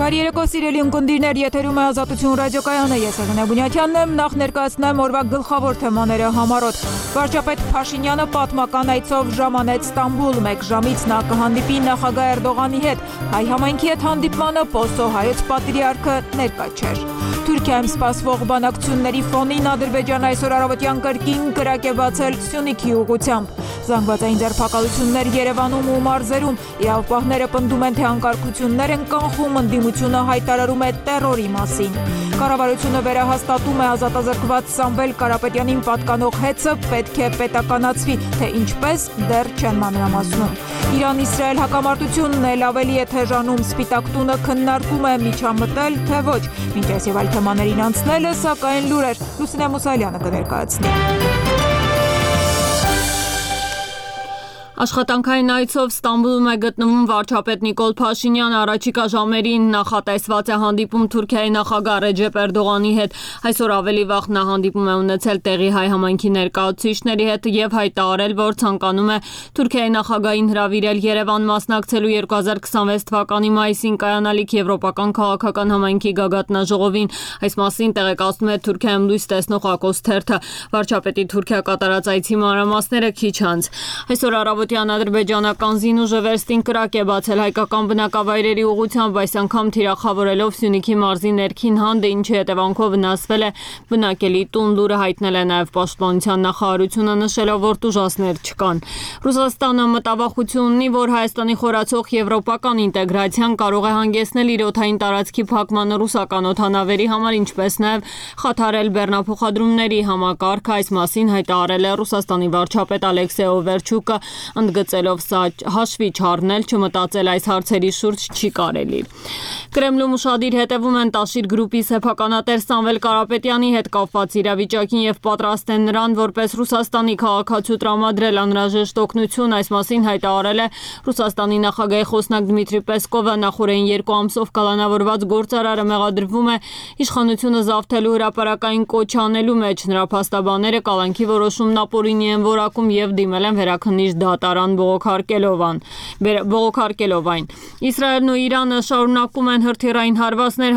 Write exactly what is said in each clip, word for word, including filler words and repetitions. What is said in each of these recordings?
Բարի երեկո սիրելի ունկնդիրներ, եթերում է Ազատություն ռադիոկայանը, ես Եղենա Բունյաթյանն եմ, նախ ներկայացնեմ օրվա գլխավոր թեմաները համառոտ։ Վարչապետ Փաշինյանը պատմական այցով ժամանեց Ստամբուլ, մեկ ժամից նա կհանդիպի նախագահ Էրդողանի հետ, հայ համայնքի հետ հանդիպմանը Պոստո հայոց պատրիարքը ներկա չէր։ Թուրքիայում սպասվող բանակցությունների ֆոնին Ադրբեջանը այսօր առավոտյան կրկին կրակ է բացել Սյունիքի ուղղությամբ։ Զանգվածային ձերբակալություններ Երևանում ու մարզերում, իրավապահները պնդում են, թե անկարգություններ են կանխում, ընդդիմությունը հայտարարում է տեռորի մասին։ Կառավարությունը վերահաստատում է ազատազրկված Սամվել Կարապետյանին պատկանող հեծը պետք է պետականացվի, թե ինչպես դեռ չեն մանրամասնում։ Իրան-Իսրայել հակամարտությունն էլ ավելի է թեժանում, Սպիտակ տունը քննարկում է միջամտել, թե ոչ։ Մինչ այս եւ այլ թեմաներին անցնելը, սակայն լուրեր Լուսինե Մուսալյանը կներկայացնի։ Աշխատանքային այցով Ստամբուլում է գտնվում վարչապետ Նիկոլ Փաշինյանը, առաջիկա ժամերին նախատեսված է հանդիպում Թուրքիայի նախագահ Ռեջեփ Էրդողանի հետ։ Այսօր ավելի վաղ նա հանդիպում է ունեցել տեղի հայ համայնքի ներկայացուցիչների հետ եւ հայտարարել, որ ցանկանում է Թուրքիայի նախագահին հրավիրել Երևան մասնակցելու երկու հազար քսանվեց թվականի մայիսին կայանալիք Եվրոպական քաղաքական համայնքի գագաթնաժողովին։ Այս մասին տեղեկացնում է Թուրքիայում լույս տեսնող Ակոս թերթը։ Վարչապետի Թուրքիա կատարած այցի մանրամասները քիչ անց։ Այսօր առավոտյան ադրբեջանական զինուժը վերստին կրակ է բացել հայկական բնակավայրերի ուղղությամբ, այս անգամ թիրախավորելով Սյունիքի մարզի ներքին հանդը, ինչի հետևանքով վնասվել է բնակելի տուն։ Լուրը հայտնել է նաև Պաշտպանության նախարարությունը, նշելով, որ տուժածներ չկան։ Ռուսաստանը մտավախություն ունի, որ Հայաստանի խորացող եվրոպական ինտեգրացիան կարող է հանգեցնել իր օդային տարածքի փակմանը ռուսական օդանավերի համար, ինչպես նաև խաթարել բեռնափոխադրումների համակարգը։ Այս մասին հայտարարել է Ռուսաստանի վարչապետ Ալեքսեյ Օվերչուկը, ընդգծելով սա հաշվի չառնել, չմտածել այս հարցերի շուրջ չի կարելի։ Կրեմլում ուշադիր հետևում են Տաշիր գրուպի սեփականատեր Սամվել Կարապետյանի հետ կապված իրավիճակին եւ պատրաստ են նրան որպես Ռուսաստանի քաղաքացու տրամադրել անհրաժեշտ օգնություն։ Այս մասին հայտարարել է Ռուսաստանի նախագահի խոսնակ Դմիտրի Պեսկովը։ Նախորդին երկու ամսով կալանավորված գործարարը մեղադրվում է իշխանությունը զավթելու հրապարակային կոչ անելու մեջ։ Նրա փաստաբանները կալանքի որոշումն ապօրինի են որակում եւ դիմել են վերաքննիչ դատարան բողոքարկելով այն։ Իսրայելն ու Իրանը շարունակում են հրթիռային հարվածներ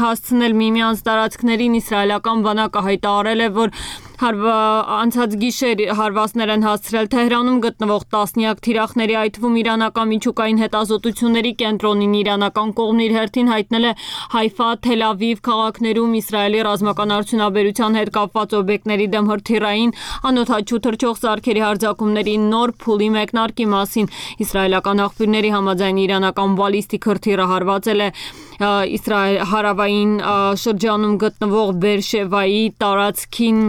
հասցնել միմյանց տարածքներին։ Իսրայելական բանակը հայտարարել է, որ անցած գիշեր հարվածներ են հասցրել Թեհրանում գտնվող տասնյակ թիրախների, այդ թվում իրանական միջուկային հետազոտությունների կենտրոնին։ Իրանական կողմն իր հերթին հայտնել է Հայֆա, Թել Ավիվ քաղաքներում Իսրայելի ռազմական արդյունաբերության հետ կապված օբյեկտների դեմ հրթիռային անօդաչու թռչող սարքերի հարձակումների նոր փուլի մեկնարկի մասին։ Իսրայելական աղբյուրների համաձայն իրանական բալիստիկ հրթիռը հարվածել է Իսրայել հարավային շրջանում գտնվող Բերշևայի տարածքին,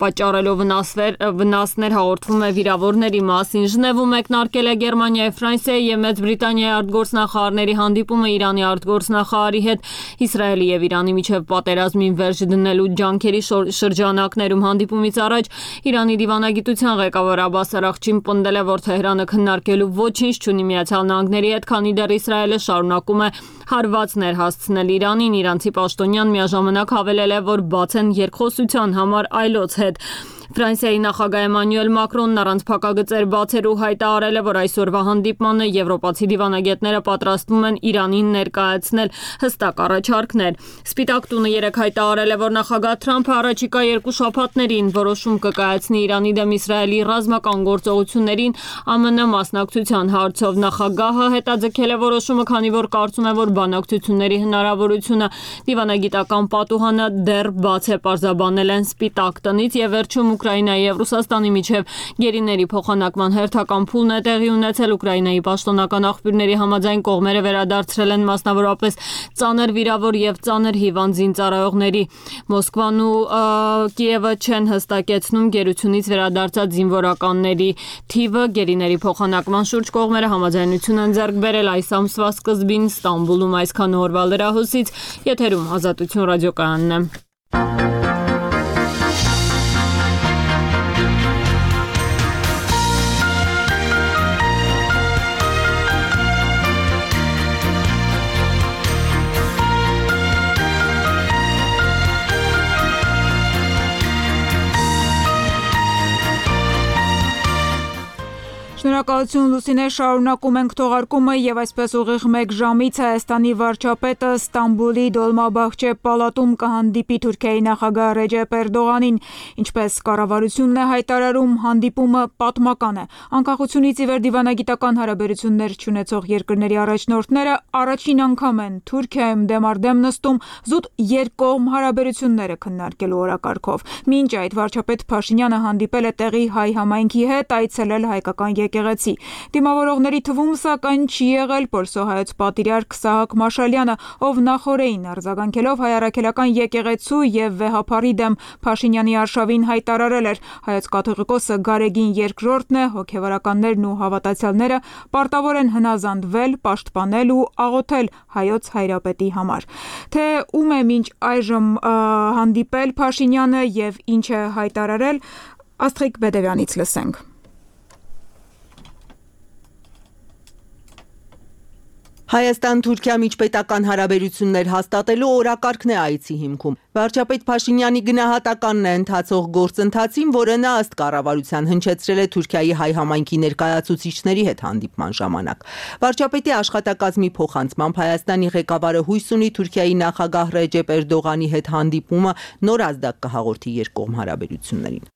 պատճառելով վնասներ, հաղորդվում է վիրավորների մասին։ Ժնևում մեկնարկել է Գերմանիայի, Ֆրանսիայի եւ Մեծ Բրիտանիայի արտգործնախարարների հանդիպումը Իրանի արտգործնախարարի հետ Իսրայելի եւ Իրանի միջև պատերազմին վերջ դնելու ջանքերի շրջանակներում։ Հանդիպումից առաջ Իրանի դիվանագիտության ղեկավար Աբբաս Արաղչին պնդել է, որ Թեհրանը քննարկելու ոչինչ չունի Միացյալ Նահանգների հետ, քանի դեռ Իսրայելը շարունակում է հարվածներ հասցնել Իրանին։ Իրանցի պաշտոնյան միաժամանակ հավելել է, որ բաց են երկխոսության համար այլոց հետ։ Ֆրանսիայի նախագահ Էմանուել Մակրոնն առանց փակագծեր բացելու հայտարարել է, որ այսօրվա հանդիպմանը եվրոպացի դիվանագետները պատրաստվում են Իրանին ներկայացնել հստակ առաջարկներ։ Սպիտակ տունը երեկ հայտարարել է, որ նախագահ Թրամփը առաջիկա երկու շաբաթներին որոշում կկայացնի Իրանի դեմ Իսրայելի ռազմական գործողություններին ԱՄՆ մասնակցության հարցով։ Նախագահը հետաձգել է որոշումը, քանի որ կարծում է, որ բանակցությունների հնարավորությունը դիվանագիտական պատուհանը դեռ բաց է, պարզաբանել են Սպիտակ տնից։ Եվ վերջում Ուկրաինայի եւ Ռուսաստանի միջև գերիների փոխանակման հերթական փուլն է տեղի ունեցել։ Ուկրաինայի պաշտոնական աղբյուրների համաձայն կողմերը վերադարձրել են մասնավորապես ծանր վիրավոր եւ ծանր հիվանդ զինծառայողների։ Մոսկվան ու Կիևը չեն հստակեցնում գերությունից վերադարձած զինվորականների թիվը։ Գերիների փոխանակման շուրջ կողմերը համաձայնություն են ձեռք բերել այս ամսվա սկզբին Ստամբուլում։ Այսքան օրվա լրահոսից եթերում Ազատություն ռադիոկայանն է։ Շնորհակալ Շնորհակալություն Լուսինե, շարունակում ենք թողարկումը եւ այսպես ուղիղ մեկ ժամից Հայաստանի վարչապետը Ստամբուլի Դոլմաբախչե պալատում կհանդիպի Թուրքիայի նախագահ Ռեջեփ Էրդողանին, ինչպես կառավարությունն է հայտարարում, հանդիպումը պատմական է։ Անկախությունից ի վեր դիվանագիտական հարաբերություններ չունեցող երկրների առաջնորդները առաջին անգամ են Թուրքիայում դեմ առ դեմ նստում զուտ երկկողմ հարաբերությունները քննարկելու օրակարգով։ Մինչ այդ վարչապետ Փաշինյանը հանդիպել է տեղի հայ համայնքի հետ, այցելել հայկական եկեղեցի։ Դիմավորողների թվում սակայն չի եղել պոլսոհայոց պատրիարք Սահակ Մաշալյանը, ով նախօրեին արձագանքելով հայ առաքելական եկեղեցու եւ վեհափարի դեմ Փաշինյանի արշավին հայտարարել էր. հայոց կաթողիկոսը Գարեգին երկրորդն է, հոգևորականներն ու հավատացյալները պարտավոր են հնազանդվել, պաշտպանել ու աղոթել հայոց հայրապետի համար։ Թե ում է մինչ այժմ հանդիպել Փաշինյանը եւ ինչ է հայտարարել, Աստղիկ Բեդևյանից լսենք։ Հայաստան-Թուրքիա միջպետական հարաբերություններ հաստատելու օրակարգն է այցի հիմքում։ Վարչապետ Փաշինյանի գնահատականն է ընթացող գործընթացին, որը նա ըստ կառավարության հնչեցրել է Թուրքիայի հայ համայնքի ներկայացուցիչների հետ հանդիպման ժամանակ։ Վարչապետի աշխատակազմի փոխանցմամբ Հայաստանի ղեկավարը հույս ունի Թուրքիայի նախագահ Ռեջեփ Էրդողանի հետ հանդիպումը նոր ազդակ կհաղորդի երկկողմ հարաբերություններին։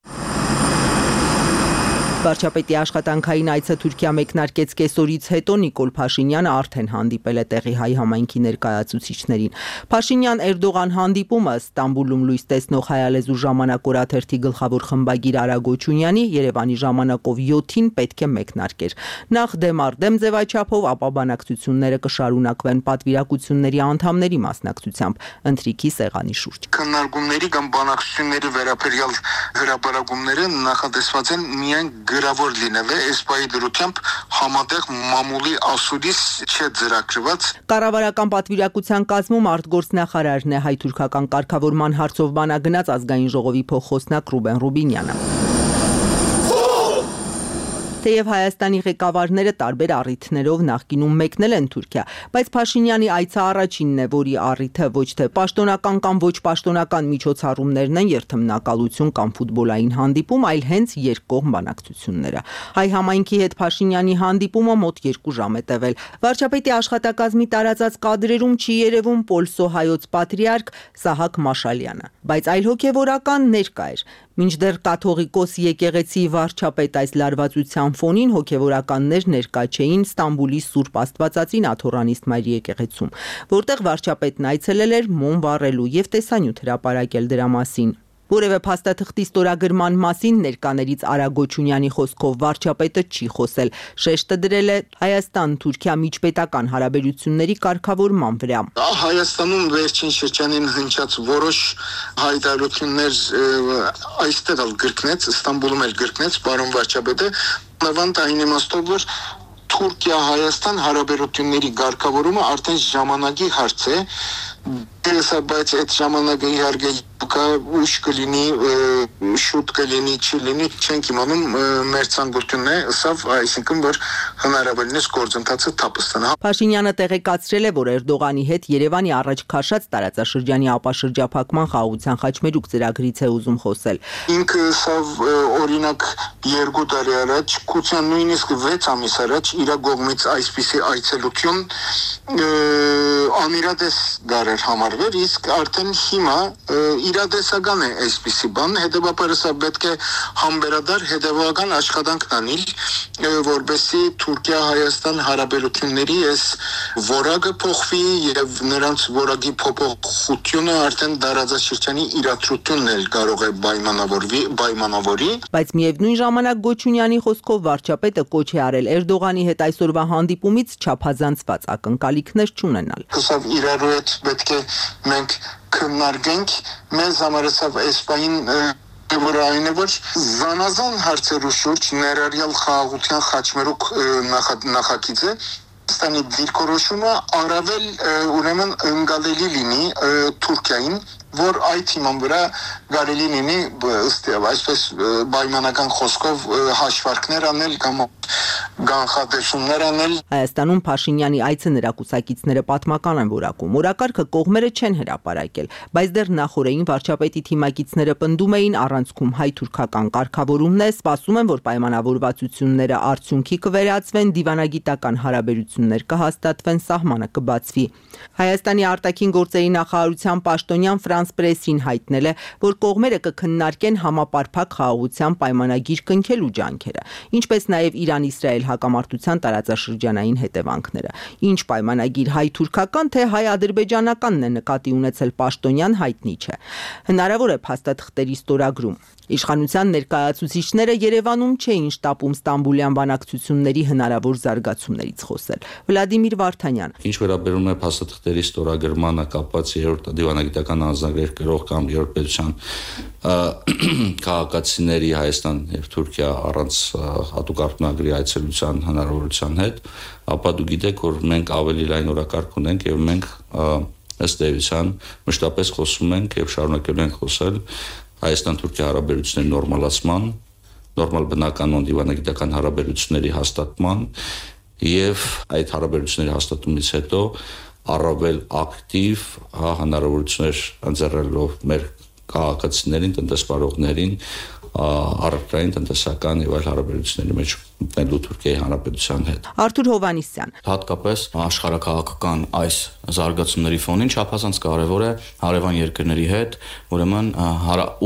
Վարչապետի աշխատանքային այցը Թուրքիա մեկնարկեց կեսօրից հետո Նիկոլ Փաշինյանը արդեն հանդիպել է տեղի հայ համայնքի ներկայացուցիչներին։ Փաշինյան-Էրդողան հանդիպումը Ստամբուլում լույս տեսնող հայալեզու ժամանակ օրաթերթի գլխավոր խմբագիր Արա Գոչունյանի Երևանի ժամանակով յոթին պետք է մեկնարկեր։ Նախ դեմ առ դեմ ձևաչափով, ապա բանակցությունները կշարունակվեն պատվիրակությունների անդամների մասնակցությամբ ընթրիքի սեղանի շուրջ։ Քննարկումների կամ բանակցությունների վերաբերյալ հրապարակումները նախատեսված են միայն գրավոր լինել է, այս պահի դրությամբ համատեղ մամուլի ասուլիս չէ ձեռագրված։ Կառավարական պատվիրակության կազմում արտգործնախարարն է, հայ-թուրքական կարգավորման հարցով բանագնաց ազգային ժողովի փոխխոսնակ Ռուբեն Ռուբինյանը։ Թեև Հայաստանի ղեկավարները տարբեր առիթներով նախկինում մեկնել են Թուրքիա, բայց Փաշինյանի այցը առաջինն է, որի առիթը ոչ թե պաշտոնական կամ ոչ պաշտոնական միջոցառումներն են, երթմնակալություն կամ ֆուտբոլային հանդիպում, այլ հենց երկկողմ բանակցությունները։ Հայ համայնքի հետ Փաշինյանի հանդիպումը մոտ երկու ժամ է տևել։ Վարչապետի աշխատակազմի տարածած կադրերում չի երևում պոլսոհայոց պատրիարք Սահակ Մաշալյանը, բայց այլ հոգևորական ներկա էր։ Մինչդեռ կաթողիկոս եկեղեցի վարչապետ այս լարվածության ֆոնին հոգևորականներ ներկա չէին Ստամբուլի Սուրբ Աստվածածին Աթոռանիստ Մարիի եկեղեցում, որտեղ վարչապետն այցելել էր մոմ վառելու եւ տեսանյութ հրապարակել դրա մասին։ Որևէ փաստաթղթի ստորագրման մասին ներկաներից Արա Գոչունյանի խոսքով վարչապետը չի խոսել, շեշտը դրել է Հայաստան-Թուրքիա միջպետական հարաբերությունների կարգավորման վրա։ Հայաստանում վերջին շրջանին հնչած որոշ հայտարարություններ այստեղ էլ գրկնեց, Ստամբուլում էլ գրկնեց պարոն վարչապետը, նավանդ այն իմաստով, որ Թուրքիա-Հայաստան հարաբերությունների կարգավորումը արդեն ժամանակի հարց է, բայց այդ ժամանակը իհարկե ուշ կլինի, շուտ կլինի, չի լինի, չենք իմանում, մեր ցանկությունն է, սավ, այսինքն, որ հնարավորինս գործընթացը թափ ստանա։ Փաշինյանը տեղեկացրել է, որ Էրդողանի հետ Երևանի առաջ քաշած տարածաշրջանի ապաշրջափակման խաղաղության խաչմերուկ ծրագրից է ուզում խոսել։ Ինքը սավ օրինակ երկու տարի առաջ, կության նույնիսկ վեց ամիս առաջ իր կողմից այսպիսի այցելություն անիրադես դարեր համարվեր, իսկ արդեն հիմա իրադեսական է այսպիսի բան, հետևաբար սա պետք է համբերադար հետևական աշխատանք անել, որպեսզի Թուրքիա-Հայաստան հարաբերությունների այս որակը փոխվի եւ նրանց որակի փոփոխությունը արդեն դարաձաշրջանի իրադրությունն էլ կարող է պայմանավորվի, պայմանավորի։ Բայց միևնույն ժամանակ Գոչունյանի խոսքով վարչապետը կոչ է արել Էրդողանի հետ այսօրվա հանդիպումից չափազանցված ակնկալիքներ չունենալ։ Սա իրարու հետ պետք է մենք քննարկենք, մեզ համար սա այս պահին որ այն է, որ զանազան հարցերու շուրջ ներառյալ խաղաղության խաչմերուկ նախագիծը Ստանի դիրքորոշումը առավել ուրեմն ընկալելի լինի Թուրքիային, որ այդ հիման վրա կարելի լինի ըստ այսպես պայմանական խոսքով հաշվարկներ անել կամ կանխատեսումներ անել։ Հայաստանում Փաշինյանի այցը նրա կուսակիցները պատմական են որակում։ Օրակարգը կողմերը չեն հրապարակել, բայց դեռ նախորդին վարչապետի թիմակիցները պնդում էին առանցքում հայ-թուրքական կարգավորումն է, սպասում են, որ պայմանավորվածությունները արդյունքի կվերածվեն, դիվանագիտական հարաբերություններ կհաստատվեն, սահմանը կբացվի։ Հայաստանի արտաքին գործերի նախարարության պաշտոնյան Ֆրանս Պրեսին հայտնել է, որ կողմերը կքննարկեն համապարփակ խաղաղության պայմանագիր կնքելու ջանքերը, ինչպես նաև Իրան-Իսրայել հակամարտության տարածաշրջանային հետևանքները։ Ինչ պայմանագիր հայ-թուրքական թե հայ-ադրբեջանականն է նկատի ունեցել պաշտոնյան հայտնի չէ։ Հնարավոր է փաստաթղթերի ստորագրում։ Իշխանության ներկայացուցիչները Երևանում չէին շտապում Ստամբուլյան բանակցությունների հնարավոր զարգացումներից խոսել։ Վլադիմիր Վարդանյան։ Ինչ վերաբերում է փաստաթղթերի ստորագրմանը կապված երրորդ դիվանագիտական անձնագրեր գրող կամ երրորդ պետության քաղաքացիների Հայաստան եւ Թուրքիա առանց հատուկ արտոնագրի այցելության հնարավորության հետ, ապա դու գիտեք, որ մենք ավելի լայն օրակարգ ունենք եւ մենք ըստ էության մշտապես խոսում ենք եւ շարունակելու ենք խոսել Հայաստան-Թուրքիա հարաբերությունների նորմալացման, նորմալ բնականon դիվանագիտական հարաբերությունների հաստատման եւ այդ հարաբերությունների հաստատումից հետո առավել ակտիվ հնարավորություններ ընձեռելով մեր քաղաքացիներին, տնտեսվարողներին առարկային տնտեսական եւ այլ հարաբերությունների մեջ մտնելու Թուրքիայի Հանրապետության հետ։ Արթուր Հովհաննիսյան։ Հատկապես աշխարհաքաղաքական այս զարգացումների ֆոնին չափազանց կարևոր է հարևան երկրների հետ, ուրեմն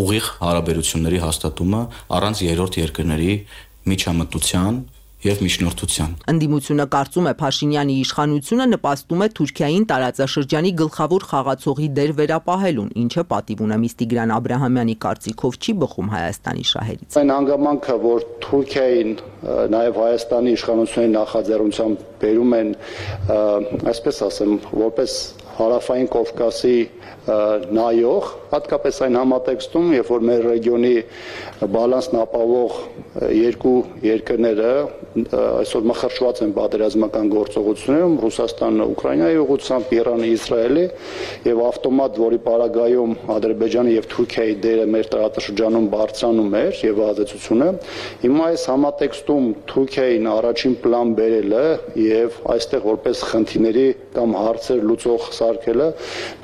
ուղիղ հարաբերությունների հաստատումը առանց երրորդ երկրների միջամտության եւ միջնորդության։ Ընդդիմությունը կարծում է Փաշինյանի իշխանությունը նպաստում է Թուրքիային տարածաշրջանի գլխավոր խաղացողի դեր վերապահելուն, ինչը պատիվ ունեմից Տիգրան Աբրահամյանի կարծիքով չի բխում Հայաստանի շահերից։ Այն հանգամանքը, որ Թուրքիային նաև Հայաստանի իշխանությունների նախաձեռնությամբ բերում են, այսպես ասեմ, որպես Հարավային Կովկասի նայող, հատկապես այն համատեքստում, երբ որ մեր ռեգիոնի բալանսն ապահովող երկու երկրները այսօր մխրճված են պատերազմական գործողություններում, Ռուսաստանը Ուկրաինայի ուղղությամբ, Իրանը Իսրայելի եւ ավտոմատ, որի պարագայում Ադրբեջանի եւ Թուրքիայի դերը մեր տարածաշրջանում բարձրանում էր եւ ազդեցությունը, հիմա այս համատեքստում Թուրքիային առաջին պլան բերելը եւ այստեղ որպես խնդիրների կամ հարցեր լուծող սարքելը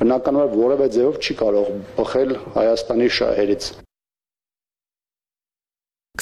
բնականաբար որևէ ձևով չի կարող բխել Հայաստանի շահերից։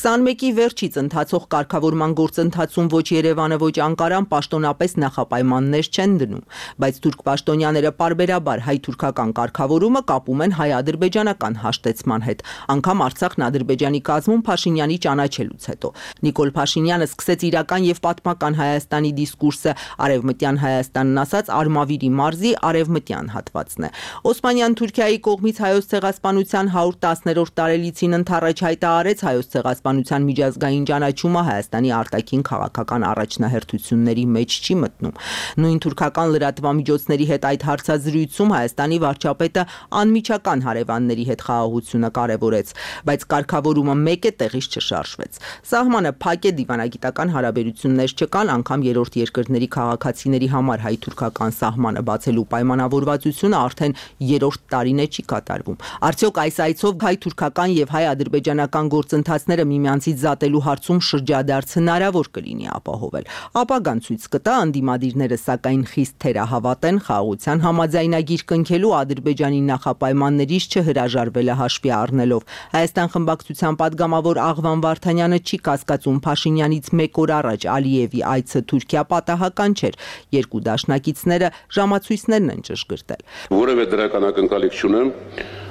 քսանմեկի վերջից ընթացող կարգավորման գործընթացում ոչ Երևանը, ոչ Անկարան պաշտոնապես նախապայմաններ չեն դնում, բայց թուրք պաշտոնյաները պարբերաբար հայ-թուրքական կարգավորումը կապում են հայ-ադրբեջանական հաշտեցման հետ, անգամ Արցախն Ադրբեջանի կազմում Փաշինյանի ճանաչելուց հետո։ Նիկոլ Փաշինյանը սկսեց իրական եւ պատմական Հայաստանի դիսկուրսը, արևմտյան Հայաստանն ասած Արմավիրի մարզի արևմտյան հատվածն է։ Օսմանյան Թուրքիայի կողմից հայոց ցեղասպանության հարյուր տասներորդ տարելիցին ընթառաջ հայտարարեց հայոց ցեղասպանության միջազգային ճանաչումը Հայաստանի արտաքին քաղաքական առաջնահերթությունների մեջ չի մտնում։ Նույն թուրքական լրատվամիջոցների հետ այդ հարցազրույցում Հայաստանի վարչապետը անմիջական հարևանների հետ խաղաղությունը կարևորեց, բայց կարգավորումը մեկ է տեղից չշարժվեց։ Սահմանը փակ է, դիվանագիտական հարաբերություններ չկան, անգամ երրորդ երկրների քաղաքացիների համար հայ-թուրքական սահմանը բացելու պայմանավորվածությունը արդեն երրորդ տարին է չի կատարվում։ Արդյոք այս այցով հայ-թուրքական եւ հայ-ադրբեջանական գործընթացները միմյանցից զատելու հարցում շրջադարձ հնարավոր կլինի ապահովել։ Ապագան ցույց կտա, անդիմադիրները սակայն խիստ թերահավատ են խաղաղության համաձայնագիր կնքելու Ադրբեջանի նախապայմաններից չհրաժարվելը հաշվի առնելով։ Հայաստան խմբակցության падգամավոր Աղվան Վարդանյանը չի կասկածում Փաշինյանից մեկ օր առաջ Ալիևի այցը Թուրքիա պատահական չէր։ Երկու դաշնակիցները ժամացույցներն են ճշգրտել։ Որևէ դրական ակնկալիք չունեմ,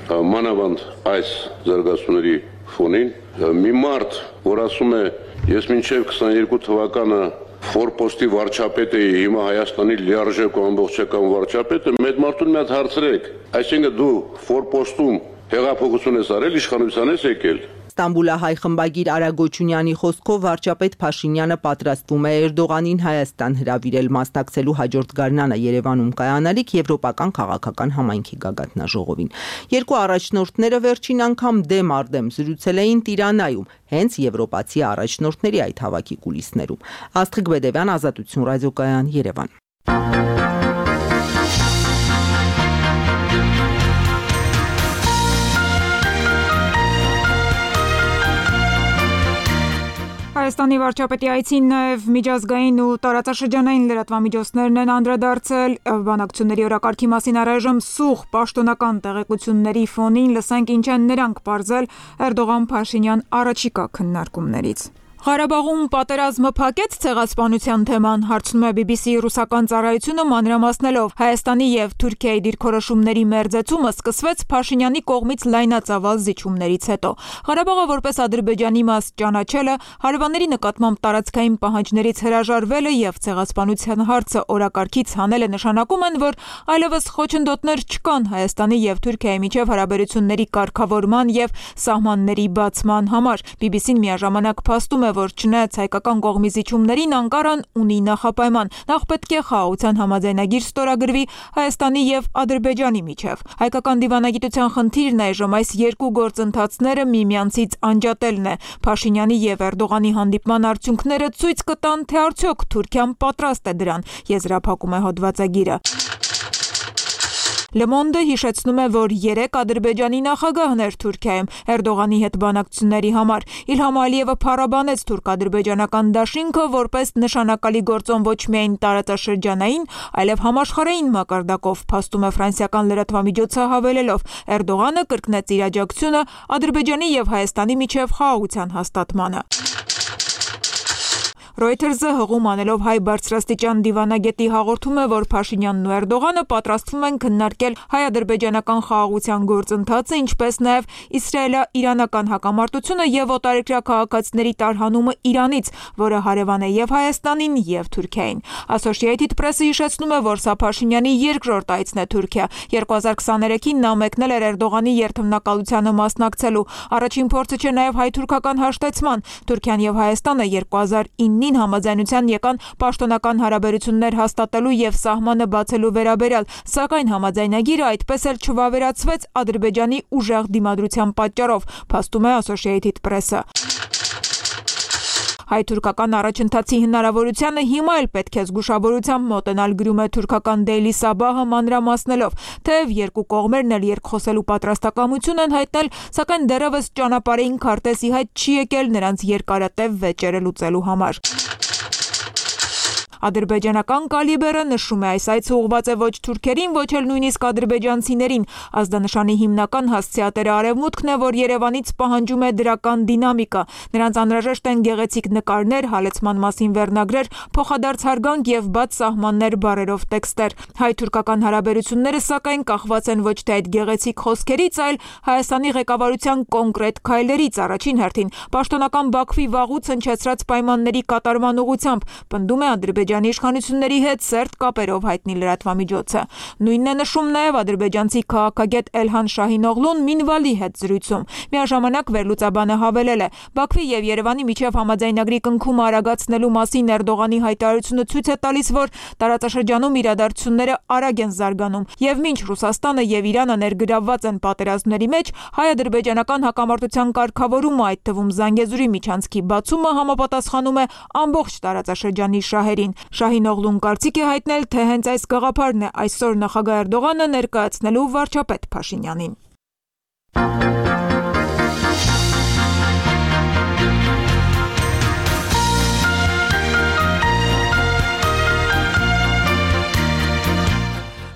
մանավանդ այս զարգացումների ֆոնին մի մարդ, որ ասում է ես մինչև քսաներկու թվականը ֆորպոստի վարչապետ էի, հիմա Հայաստանի լիարժեք ու ամբողջական վարչապետը, մեծ մարդուն մի հատ հարցրեք, այսինքն դու ֆորպոստում հեղափոխություն ես արել, իշխանության ես եկել։ Ստամբուլահայ խմբագիր Արա Գոչունյանի խոսքով վարչապետ Փաշինյանը պատրաստվում է Էրդողանին Հայաստան հրավիրել մասնակցելու հաջորդ գարնանը Երևանում կայանալիք եվրոպական քաղաքական համայնքի գագաթնաժողովին։ Երկու առաջնորդները վերջին անգամ դեմ առ դեմ զրուցել էին Տիրանայում, հենց եվրոպացի առաջնորդների այդ հավաքի կուլիսներում։ Աստղիկ Բեդևյան, Ազատություն ռադիոկայան, Երևան։ Հայաստանի վարչապետի այցին նաև միջազգային ու տարածաշրջանային լրատվամիջոցներն են անդրադարձել բանակցությունների օրակարգի մասին առայժմ սուղ պաշտոնական տեղեկությունների ֆոնին լսենք ինչ են նրանք պարզել Էրդողան-Փաշինյան առաջիկա քննարկումներից։ Ղարաբաղում պատերազմը փակեց ցեղասպանության թեման, հարցնում է բի բի սի ռուսական ծառայությունը մանրամասնելով Հայաստանի եւ Թուրքիայի դիրքորոշումների մերձեցումը սկսվեց Փաշինյանի կողմից լայնածավալ զիջումներից հետո։ Ղարաբաղը որպես Ադրբեջանի մաս ճանաչելը, հարևանների նկատմամբ տարածքային պահանջներից հրաժարվելը եւ ցեղասպանության հարցը օրակարգից հանելը նշանակում են, որ այլևս խոչընդոտներ չկան Հայաստանի եւ Թուրքիայի միջև հարաբերությունների կարգավորման եւ սահմանների բացման համար։ բի բի սին միաժամանակ փաստում որ չնայած հայկական կողմի զիջումներին Անկարան ունի նախապայման, նախ պետք է խաղաղության համաձայնագիր ստորագրվի Հայաստանի եւ Ադրբեջանի միջև։ Հայկական դիվանագիտության խնդիրն այժմ այս երկու գործընթացները միմյանցից անջատելն է։ Փաշինյանի եւ Էրդողանի հանդիպման արդյունքները ցույց կտան, թե արդյոք Թուրքիան պատրաստ է դրան, եզրափակում է հոդվածագիրը։ Le Monde հիշեցնում է, որ երեք Ադրբեջանի նախագահն էր Թուրքիայում Էրդողանի հետ բանակցությունների համար։ Իլհամ Ալիևը փառաբանեց թուրք-ադրբեջանական դաշինքը որպես նշանակալի գործոն ոչ միայն տարածաշրջանային, այլև համաշխարհային մակարդակով, փաստում է ֆրանսիական լրատվամիջոցը հավելելով. Էրդողանը կրկնեց իր աջակցությունը Ադրբեջանի եւ Հայաստանի միջև խաղաղության հաստատմանը։ Reuters-ը հղում անելով հայ բարձրաստիճան դիվանագետի հաղորդում է, որ Փաշինյանն ու Էրդողանը պատրաստվում են քննարկել հայ-ադրբեջանական խաղաղության գործընթացը, ինչպես նաև իսրայելա-իրանական հակամարտությունը եւ օտարերկրյա քաղաքացիների տարհանումը Իրանից, որը հարևան է եւ Հայաստանին եւ Թուրքիային։ Associated Press-ը հիշեցնում է, որ սա Փաշինյանի երկրորդ այցն է Թուրքիա։ երկու հազար քսաներեքին նա մեկնել էր Էրդողանի երթմնակալությանը մասնակցելու։ Առաջին փորձը չէ նաև հայ-թուրքական հաշտեցման։ Թուրքիան եւ Հայաստանը երկու հազար ինը համաձայնության եկան պաշտոնական հարաբերություններ հաստատելու եւ սահմանը բացելու վերաբերյալ, սակայն համաձայնագիրը այդպես էլ չվավերացվեց Ադրբեջանի ուժեղ դիմադրության պատճառով, փաստում է Associated Press-ը։ Հայ-թուրքական առաջընթացի հնարավորությանը հիմա էլ պետք է զգուշավորությամբ մոտենալ, գրում է թուրքական Daily Sabah-ը մանրամասնելով, թեև երկու կողմերն էլ երկխոսելու պատրաստակամություն են հայտնել, սակայն դեռևս ճանապարհային քարտեզի հետ չի եկել նրանց երկարատև վեճերը լուծելու համար։ Ադրբեջանական կալիբերը նշում է այս այցը ուղղված է ոչ թուրքերին, ոչ էլ նույնիսկ ադրբեջանցիներին։ Ազդանշանի հիմնական հասցեատերը Արևմուտքն է, որ Երևանից պահանջում է դրական դինամիկա։ Նրանց անհրաժեշտ են գեղեցիկ նկարներ, հալեցման մասին վերնագրեր, փոխադարձ հարգանք եւ բաց սահմաններ բառերով տեքստեր։ Հայ-թուրքական հարաբերությունները սակայն կախված են ոչ թե այդ գեղեցիկ խոսքերից, այլ Հայաստանի ղեկավարության կոնկրետ քայլերից, առաջին հերթին պաշտոնական Բաքվի վաղուց հնչեցրած պայմանների կատարման ուղղությամբ, պնդում է Ադրբեջանի իշխանությունների հետ սերտ կապերով հայտնի լրատվամիջոցը։ Նույնն է նշում նաև ադրբեջանցի քաղաքագետ Էլհան Շահինօղլուն Մինվալի հետ զրույցում։ Միաժամանակ վերլուծաբանը հավելել է. Բաքվի եւ Երևանի միջև համաձայնագրի կնքումը արագացնելու մասին Էրդողանի հայտարարությունը ցույց է տալիս, որ տարածաշրջանում իրադարձությունները արագ են զարգանում, եւ մինչ Ռուսաստանը եւ Իրանը ներգրավված են պատերազմների մեջ, հայ-ադրբեջանական հակամարտության կարգավորումը, այդ թվում Զանգեզուրի միջանցքի բացումը համապատասխանում է ամբողջ տարածաշրջանի շահերին։ Շահինօղլուն կարծիք է հայտնել, թե հենց այս գաղափարն է այսօր նախագահ Էրդողանը ներկայացնելու վարչապետ Փաշինյանին։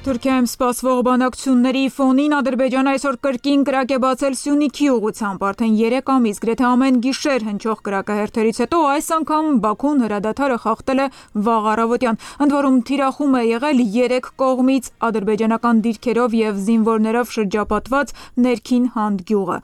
Թուրքիայում սպասվող բանակցությունների ֆոնին Ադրբեջանը այսօր կրկին կրակ է բացել Սյունիքի ուղղությամբ, արդեն երեք ամիս գրեթե ամեն գիշեր հնչող կրակահերթերից հետո այս անգամ Բաքուն հրադադարը խախտել է վաղ առավոտյան, ընդ որում թիրախում է եղել երեք կողմից ադրբեջանական դիրքերով եւ զինվորներով շրջապատված ներքին Հանդ գյուղը։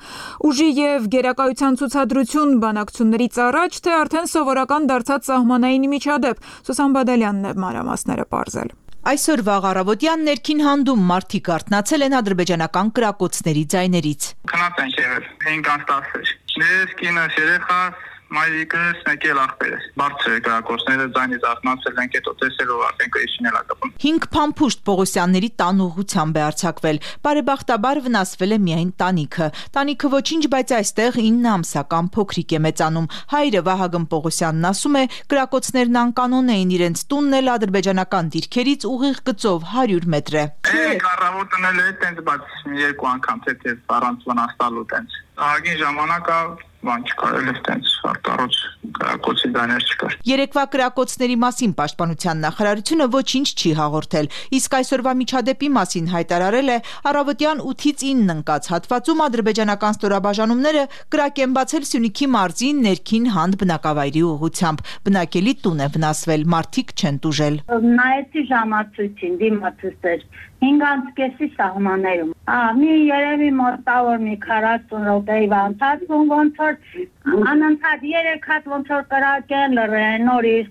Ուժի եւ գերակայության ցուցադրություն բանակցություններից առաջ, թե արդեն սովորական դարձած սահմանային միջադեպ, Սուսան Բադալյանն է մանրամասները պարզել։ Այսօր վաղ առավոտյան ներքին Հանդում մարդիկ արթնացել են ադրբեջանական կրակոցների ձայներից։ Քնած են եղել, հինգ տասը։ Ես կինս երեխաս մայրիկս եկել ախպերս։ Բարձր կրակոցները ձայնից արթնացել են, հետո տեսելով արդեն կրիչին էլ ակապում։ Հինգ փամփուշտ Պողոսյանների տան ուղղությամբ է արձակվել։ Բարեբախտաբար վնասվել է միայն տանիքը։ Տանիքը ոչինչ, բայց այստեղ ինը ամսական փոքրիկ է մեծանում։ Հայրը Վահագն Պողոսյանն ասում է, կրակոցներն անկանոն էին, իրենց տունն էլ ադրբեջանական դիրքերից ուղիղ գծով հարյուր մետր է։ Է կառավարությունն էլ է տենց, բայց երկու անգամ թե առանց վնասալու տենց։ Ահագին ժամանակա բան չկար, էլ այդտենց արտառոց կրակոցի դաներ չկար։ Երեկվա կրակոցների մասին Պաշտպանության նախարարությունը ոչինչ չի հաղորդել, իսկ այսօրվա միջադեպի մասին հայտարարել է առավոտյան ութից ինը ընկած հատվածում ադրբեջանական ստորաբաժանումները կրակ են բացել Սյունիքի մարզի ներքին Հանդ բնակավայրի ուղղությամբ։ Բնակելի տուն է վնասվել, մարդիկ չեն տուժել։ Նայեցի ժամացույցին, դիմացույց հինգանցկեսի սահմաններում։ Ահա մի երևի մոտավոր մի քառասուն րոպեի ընթացքում ոնց որ անընդհատ երեք հատ ոնց որ կրակեն լռեն նորից,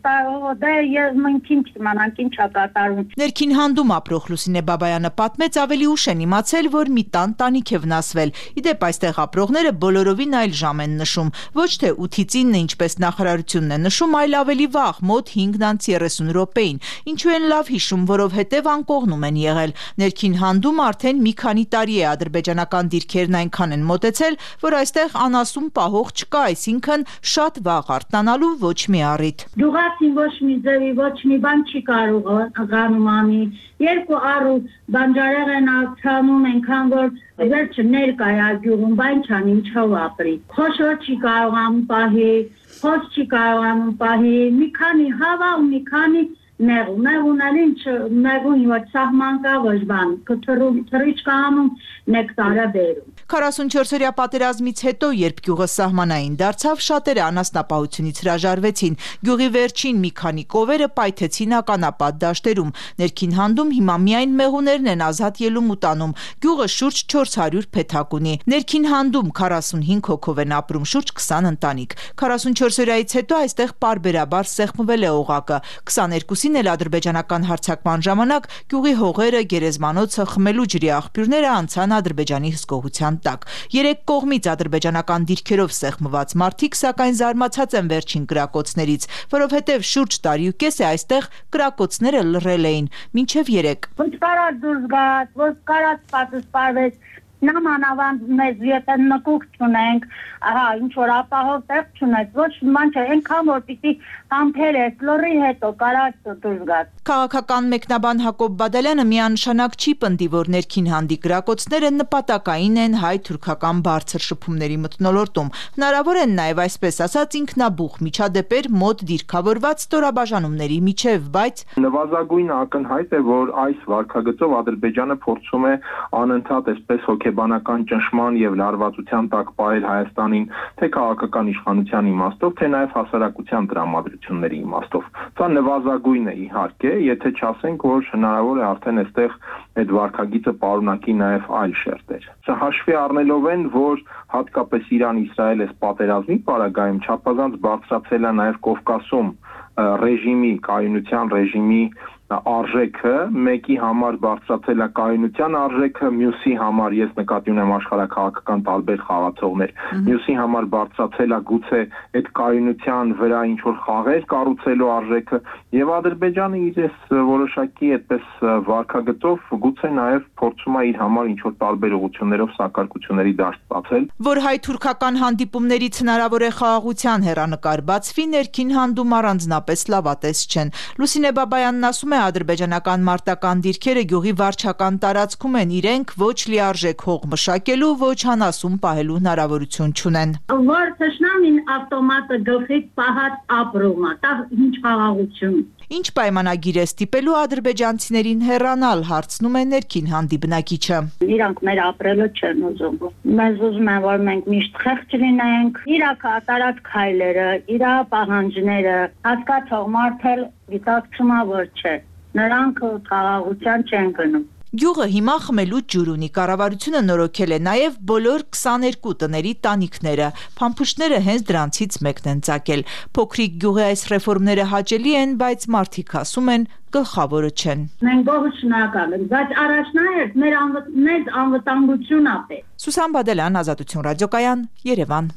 դե ես մնքին չիմանանք ինչ է կատարվում։ Ներքին Հանդում ապրող Լուսինե Բաբայանը պատմեց ավելի ուշ են իմացել, որ մի տան տանիք է վնասվել։ Իդեպ այստեղ ապրողները բոլորովին այլ ժամ են նշում, ոչ թե ութից ինը, ինչպես նախարարությունն է նշում, այլ ավելի վաղ, մոտ հինգ երեսուն րոպեին։ Ինչու են լավ հիշում, որովհետև անկողնում են եղել։ Ներքին Հանդում արդեն մի քանի տարի է ադրբեջանական դիրքերն այնքան են մոտեցել, որ այստեղ անասուն պահող չկա, այսինքն շատ վաղ արթնանալու ոչ մի առիթ։ Դուղացին ոչ մի ձևի, ոչ մի բան չի կարող գանում անի։ Երկու առու բանջարեղ են ացանում, այնքան որ վերջը ներկա է գյուղում, բան չան ինչով ապրի։ Խոշոր չի կարողանում պահի, խոս չի կարողանում պահի, մի քանի հավա ու մի քանի Նեղուն, նեղուն էլ ինչ, նեղուն ոչ սահման կա ոչ բան, թռիչ կանում նեկտարը բերում։ քառասունչորսօրյա պատերազմից հետո, երբ գյուղը սահմանային դարձավ, շատերը անասնապահությունից հրաժարվեցին։ Գյուղի վերջին մի քանի կովերը պայթեցին ականապատ դաշտերում։ Ներքին Հանդում հիմա միայն մեղուներն են ազատ ելում ու տանում։ Գյուղը շուրջ չորս հարյուր փեթակ ունի։ Ներքին Հանդում քառասունհինգ հոգով են ապրում, շուրջ քսան ընտանիք։ քառասունչորսօրյայից հետո այստեղ պարբերաբար սեղմվել է օղակը։ քսաներկուսին էլ ադրբեջանական հարձակման ժամանակ գյուղի հողերը, գերեզմանոցը, խմելու ջրի աղբյուրները անցան Ադրբեջանի հսկողության տակ։ Երեք կողմից ադրբեջանական դիրքերով սեղմված մարդիկ սակայն զարմացած են վերջին կրակոցներից, որովհետև շուրջ տարի ու կես է այստեղ կրակոցները լռել էին, մինչև երեք։ Ոչ կարած դուրս գաց, ոչ կարած պատս պարվեց, նամանավանդ մեզ եթե նկուկ չունենք, ահա ինչ որ ապահով տեղ չունենք, ոչ ման չէ, այնքան որ պիտի համբերես, լռի հետո կարած դուրս գաց։ Քաղաքական մեկնաբան Հակոբ Բադալյանը միանշանակ չի պնդի, որ ներքին Հանդի կրակոցները նպատակային են հայ-թուրքական բարձր շփումների մթնոլորտում։ Հնարավոր են նաև այսպես ասած ինքնաբուխ միջադեպեր մոտ դիրքավորված ստորաբաժանումների միջև, բայց նվազագույն ակնհայտ է, որ այս վարքագծով Ադրբեջանը փորձում է անընդհատ այսպես հոգեբանական ճնշման եւ լարվածության տակ պահել Հայաստանին, թե քաղաքական իշխանության իմաստով, թե նաև հասարակության տրամադրությունների իմաստով։ Սա նվազագույն է իհարկե, եթե չասենք, որ հնարավոր է արդեն այստեղ այդ վարքագիծը պարունակի նաև այլ շերտեր։ Սա հաշվի առնելով են, որ հատկապես Իրան-Իսրայել այս պատերազմի պարագայում չափազանց բարձրացել է նաև Կովկասում ռեժիմի, կայունության ռեժիմի արժեքը, մեկի համար բարձրացել է կայունության արժեքը, մյուսի համար ես նկատի ունեմ աշխարհաքաղաքական տարբեր խաղացողներ, մյուսի համար բարձրացել է գուցե այդ կայունության վրա ինչ որ խաղեր կառուցելու արժեքը, եւ Ադրբեջանը իր այս որոշակի այդպես վարքագծով գուցե նաեւ փորձում է իր համար ինչ որ տարբեր ուղղություններով սակարկությունների դաշտ բացել։ Որ հայ-թուրքական հանդիպումներից հնարավոր է խաղաղության հեռանկար բացվի, ներքին Հանդում առանձնապես լավատես չեն։ Լուսինե Բաբայանն ասում է, ադրբեջանական մարտական դիրքերը գյուղի վարչական տարածքում են, իրենք ոչ լիարժեք հող մշակելու, ոչ անասուն պահելու հնարավորություն չունեն։ Որ թշնամին ավտոմատը գլխի պահած ապրում է, դա ինչ խաղաղություն։ Ինչ պայմանագիր է ստիպելու ադրբեջանցիներին հեռանալ, հարցնում է ներքին Հանդի բնակիչը։ Իրանք մեր ապրելը չեն ուզում։ Մեզ ուզում են, որ մենք միշտ խեղճ լինենք, իրա կատարած քայլերը, իրա պահանջները, հասկացող մարդ էլ գիտակցում է, որ չէ։ Նրանք խաղաղության չեն գնում։ Գյուղը հիմա խմելու ջուր ունի, կառավարությունը նորոգել է նաև բոլոր քսաներկու տների տանիքները, փամփուշտները հենց դրանցից մեկն են ծագել։ Փոքրիկ գյուղի այս ռեֆորմները հաճելի են, բայց մարդիկ ասում են գլխավորը չեն։ Մենք գողը շնորհակալ ենք, բայց առաջնահերթ մեր մեծ անվտանգությունն է պետք։ Սուսան Բադալյան, Ազատություն ռադիոկայան, Երևան։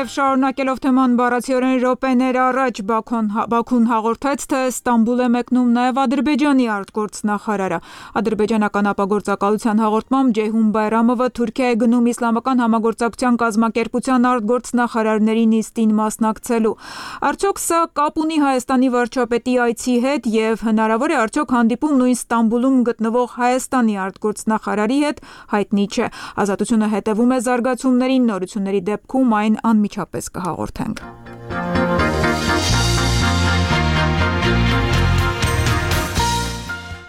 Նաև շարունակելով թեման բառացիորեն րոպեներ առաջ Բաքուն հաղորդեց, թե Ստամբուլ է մեկնում նաև Ադրբեջանի արտգործնախարարը։ Ադրբեջանական ապագործակալության հաղորդմամբ Ջեյհուն Բայրամովը Թուրքիա է գնում իսլամական համագործակցության կազմակերպության արտգործնախարարների նիստին մասնակցելու։ Արդյոք սա կապ ունի Հայաստանի վարչապետի այցի հետ եւ հնարավոր է արդյոք հանդիպում նույն Ստամբուլում գտնվող Հայաստանի արտգործնախարարի հետ, հայտնի չէ։ Ազատությունը հետևում է զարգացումներին, նորությունների դեպքում այն անմիջապես կհաղորդենք։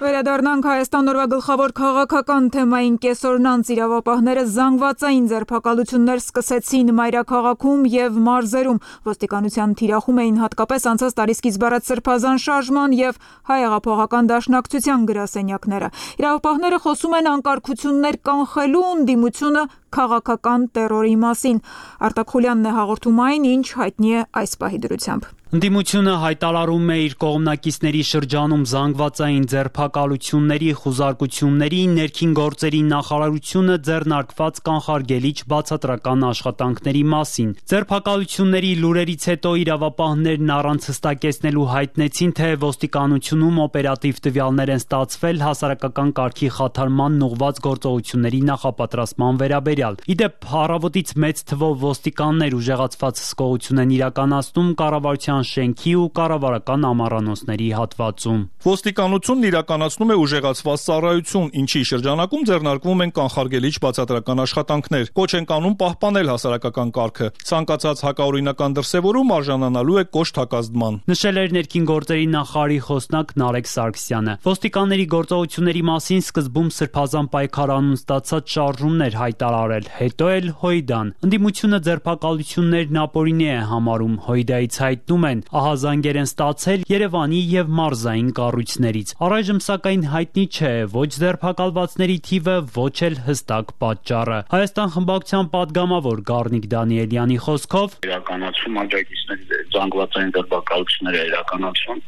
Վերադառնանք Հայաստան օրվա գլխավոր քաղաքական թեմային կեսօրնանց իրավապահները զանգվածային ձերբակալություններ սկսեցին մայրաքաղաքում եւ մարզերում։ Ոստիկանության թիրախում էին հատկապես անցած տարի սկիզբ առած Սրբազան շարժման եւ Հայ հեղափոխական դաշնակցության գրասենյակները։ Իրավապահները խոսում են անկարգություններ կանխելու ընդդիմությունը քաղաքական տերորի մասին։ Արտակ Խուլյանն է հաղորդում այն, ինչ հայտնի է այս պահի դրությամբ։ Ընդդիմությունը հայտարարում է իր կողմնակիցների շրջանում զանգվածային ձերբակալությունների, խուզարկությունների, ներքին գործերի նախարարությունը ձեռնարկված կանխարգելիչ բացատրական աշխատանքների մասին։ Ձերբակալությունների լուրերից հետո իրավապահներն առանց հստակեցնելու հայտնեցին, թե ոստիկանությունում օպերատիվ տվյալներ են ստացվել հասարակական կարգի խաթարման ուղղված գործողությունների նախապատրաստման վերաբերյալ։ Իդեպ առավոտից մեծ թվով ոստիկաններ ուժեղացված հսկողություն են իրականացնում կառավարության շենքի ու կառավարական ամառանոցների հատվածում։ Ոստիկանությունն իրականացնում է ուժեղացված ծառայություն, ինչի շրջանակում ձեռնարկվում են կանխարգելիչ բացատրական աշխատանքներ։ Կոչ են կանում պահպանել հասարակական կարգը։ Ցանկացած հակաօրինական դրսևորում արժանանալու է կոշտ հակազդման։ Նշել էր ներքին գործերի նախարարի խոսնակ Նարեկ Սարգսյանը։ Ոստիկանների գործողությունների մասին սկզբում Սրբազան պայքարանուն ստացած շարժումներ հայտարարել, հետո էլ Հույդան։ Ընդդիմությունը ձերբակալություններն ապօրինի է համարում։ Հույդայից հայտնում են ահազանգեր են ստացել Երևանի եւ մարզային կառույցներից։ Առայժմ սակայն հայտնի չէ ոչ ձերբակալվածների թիվը, ոչ էլ հստակ պատճառը։ Հայաստան խմբակցության падգամավոր Գառնիկ Դանիելյանի խոսքով իրականացում աջակիցների զանգվածային ձերբակալություններ է իրականացում։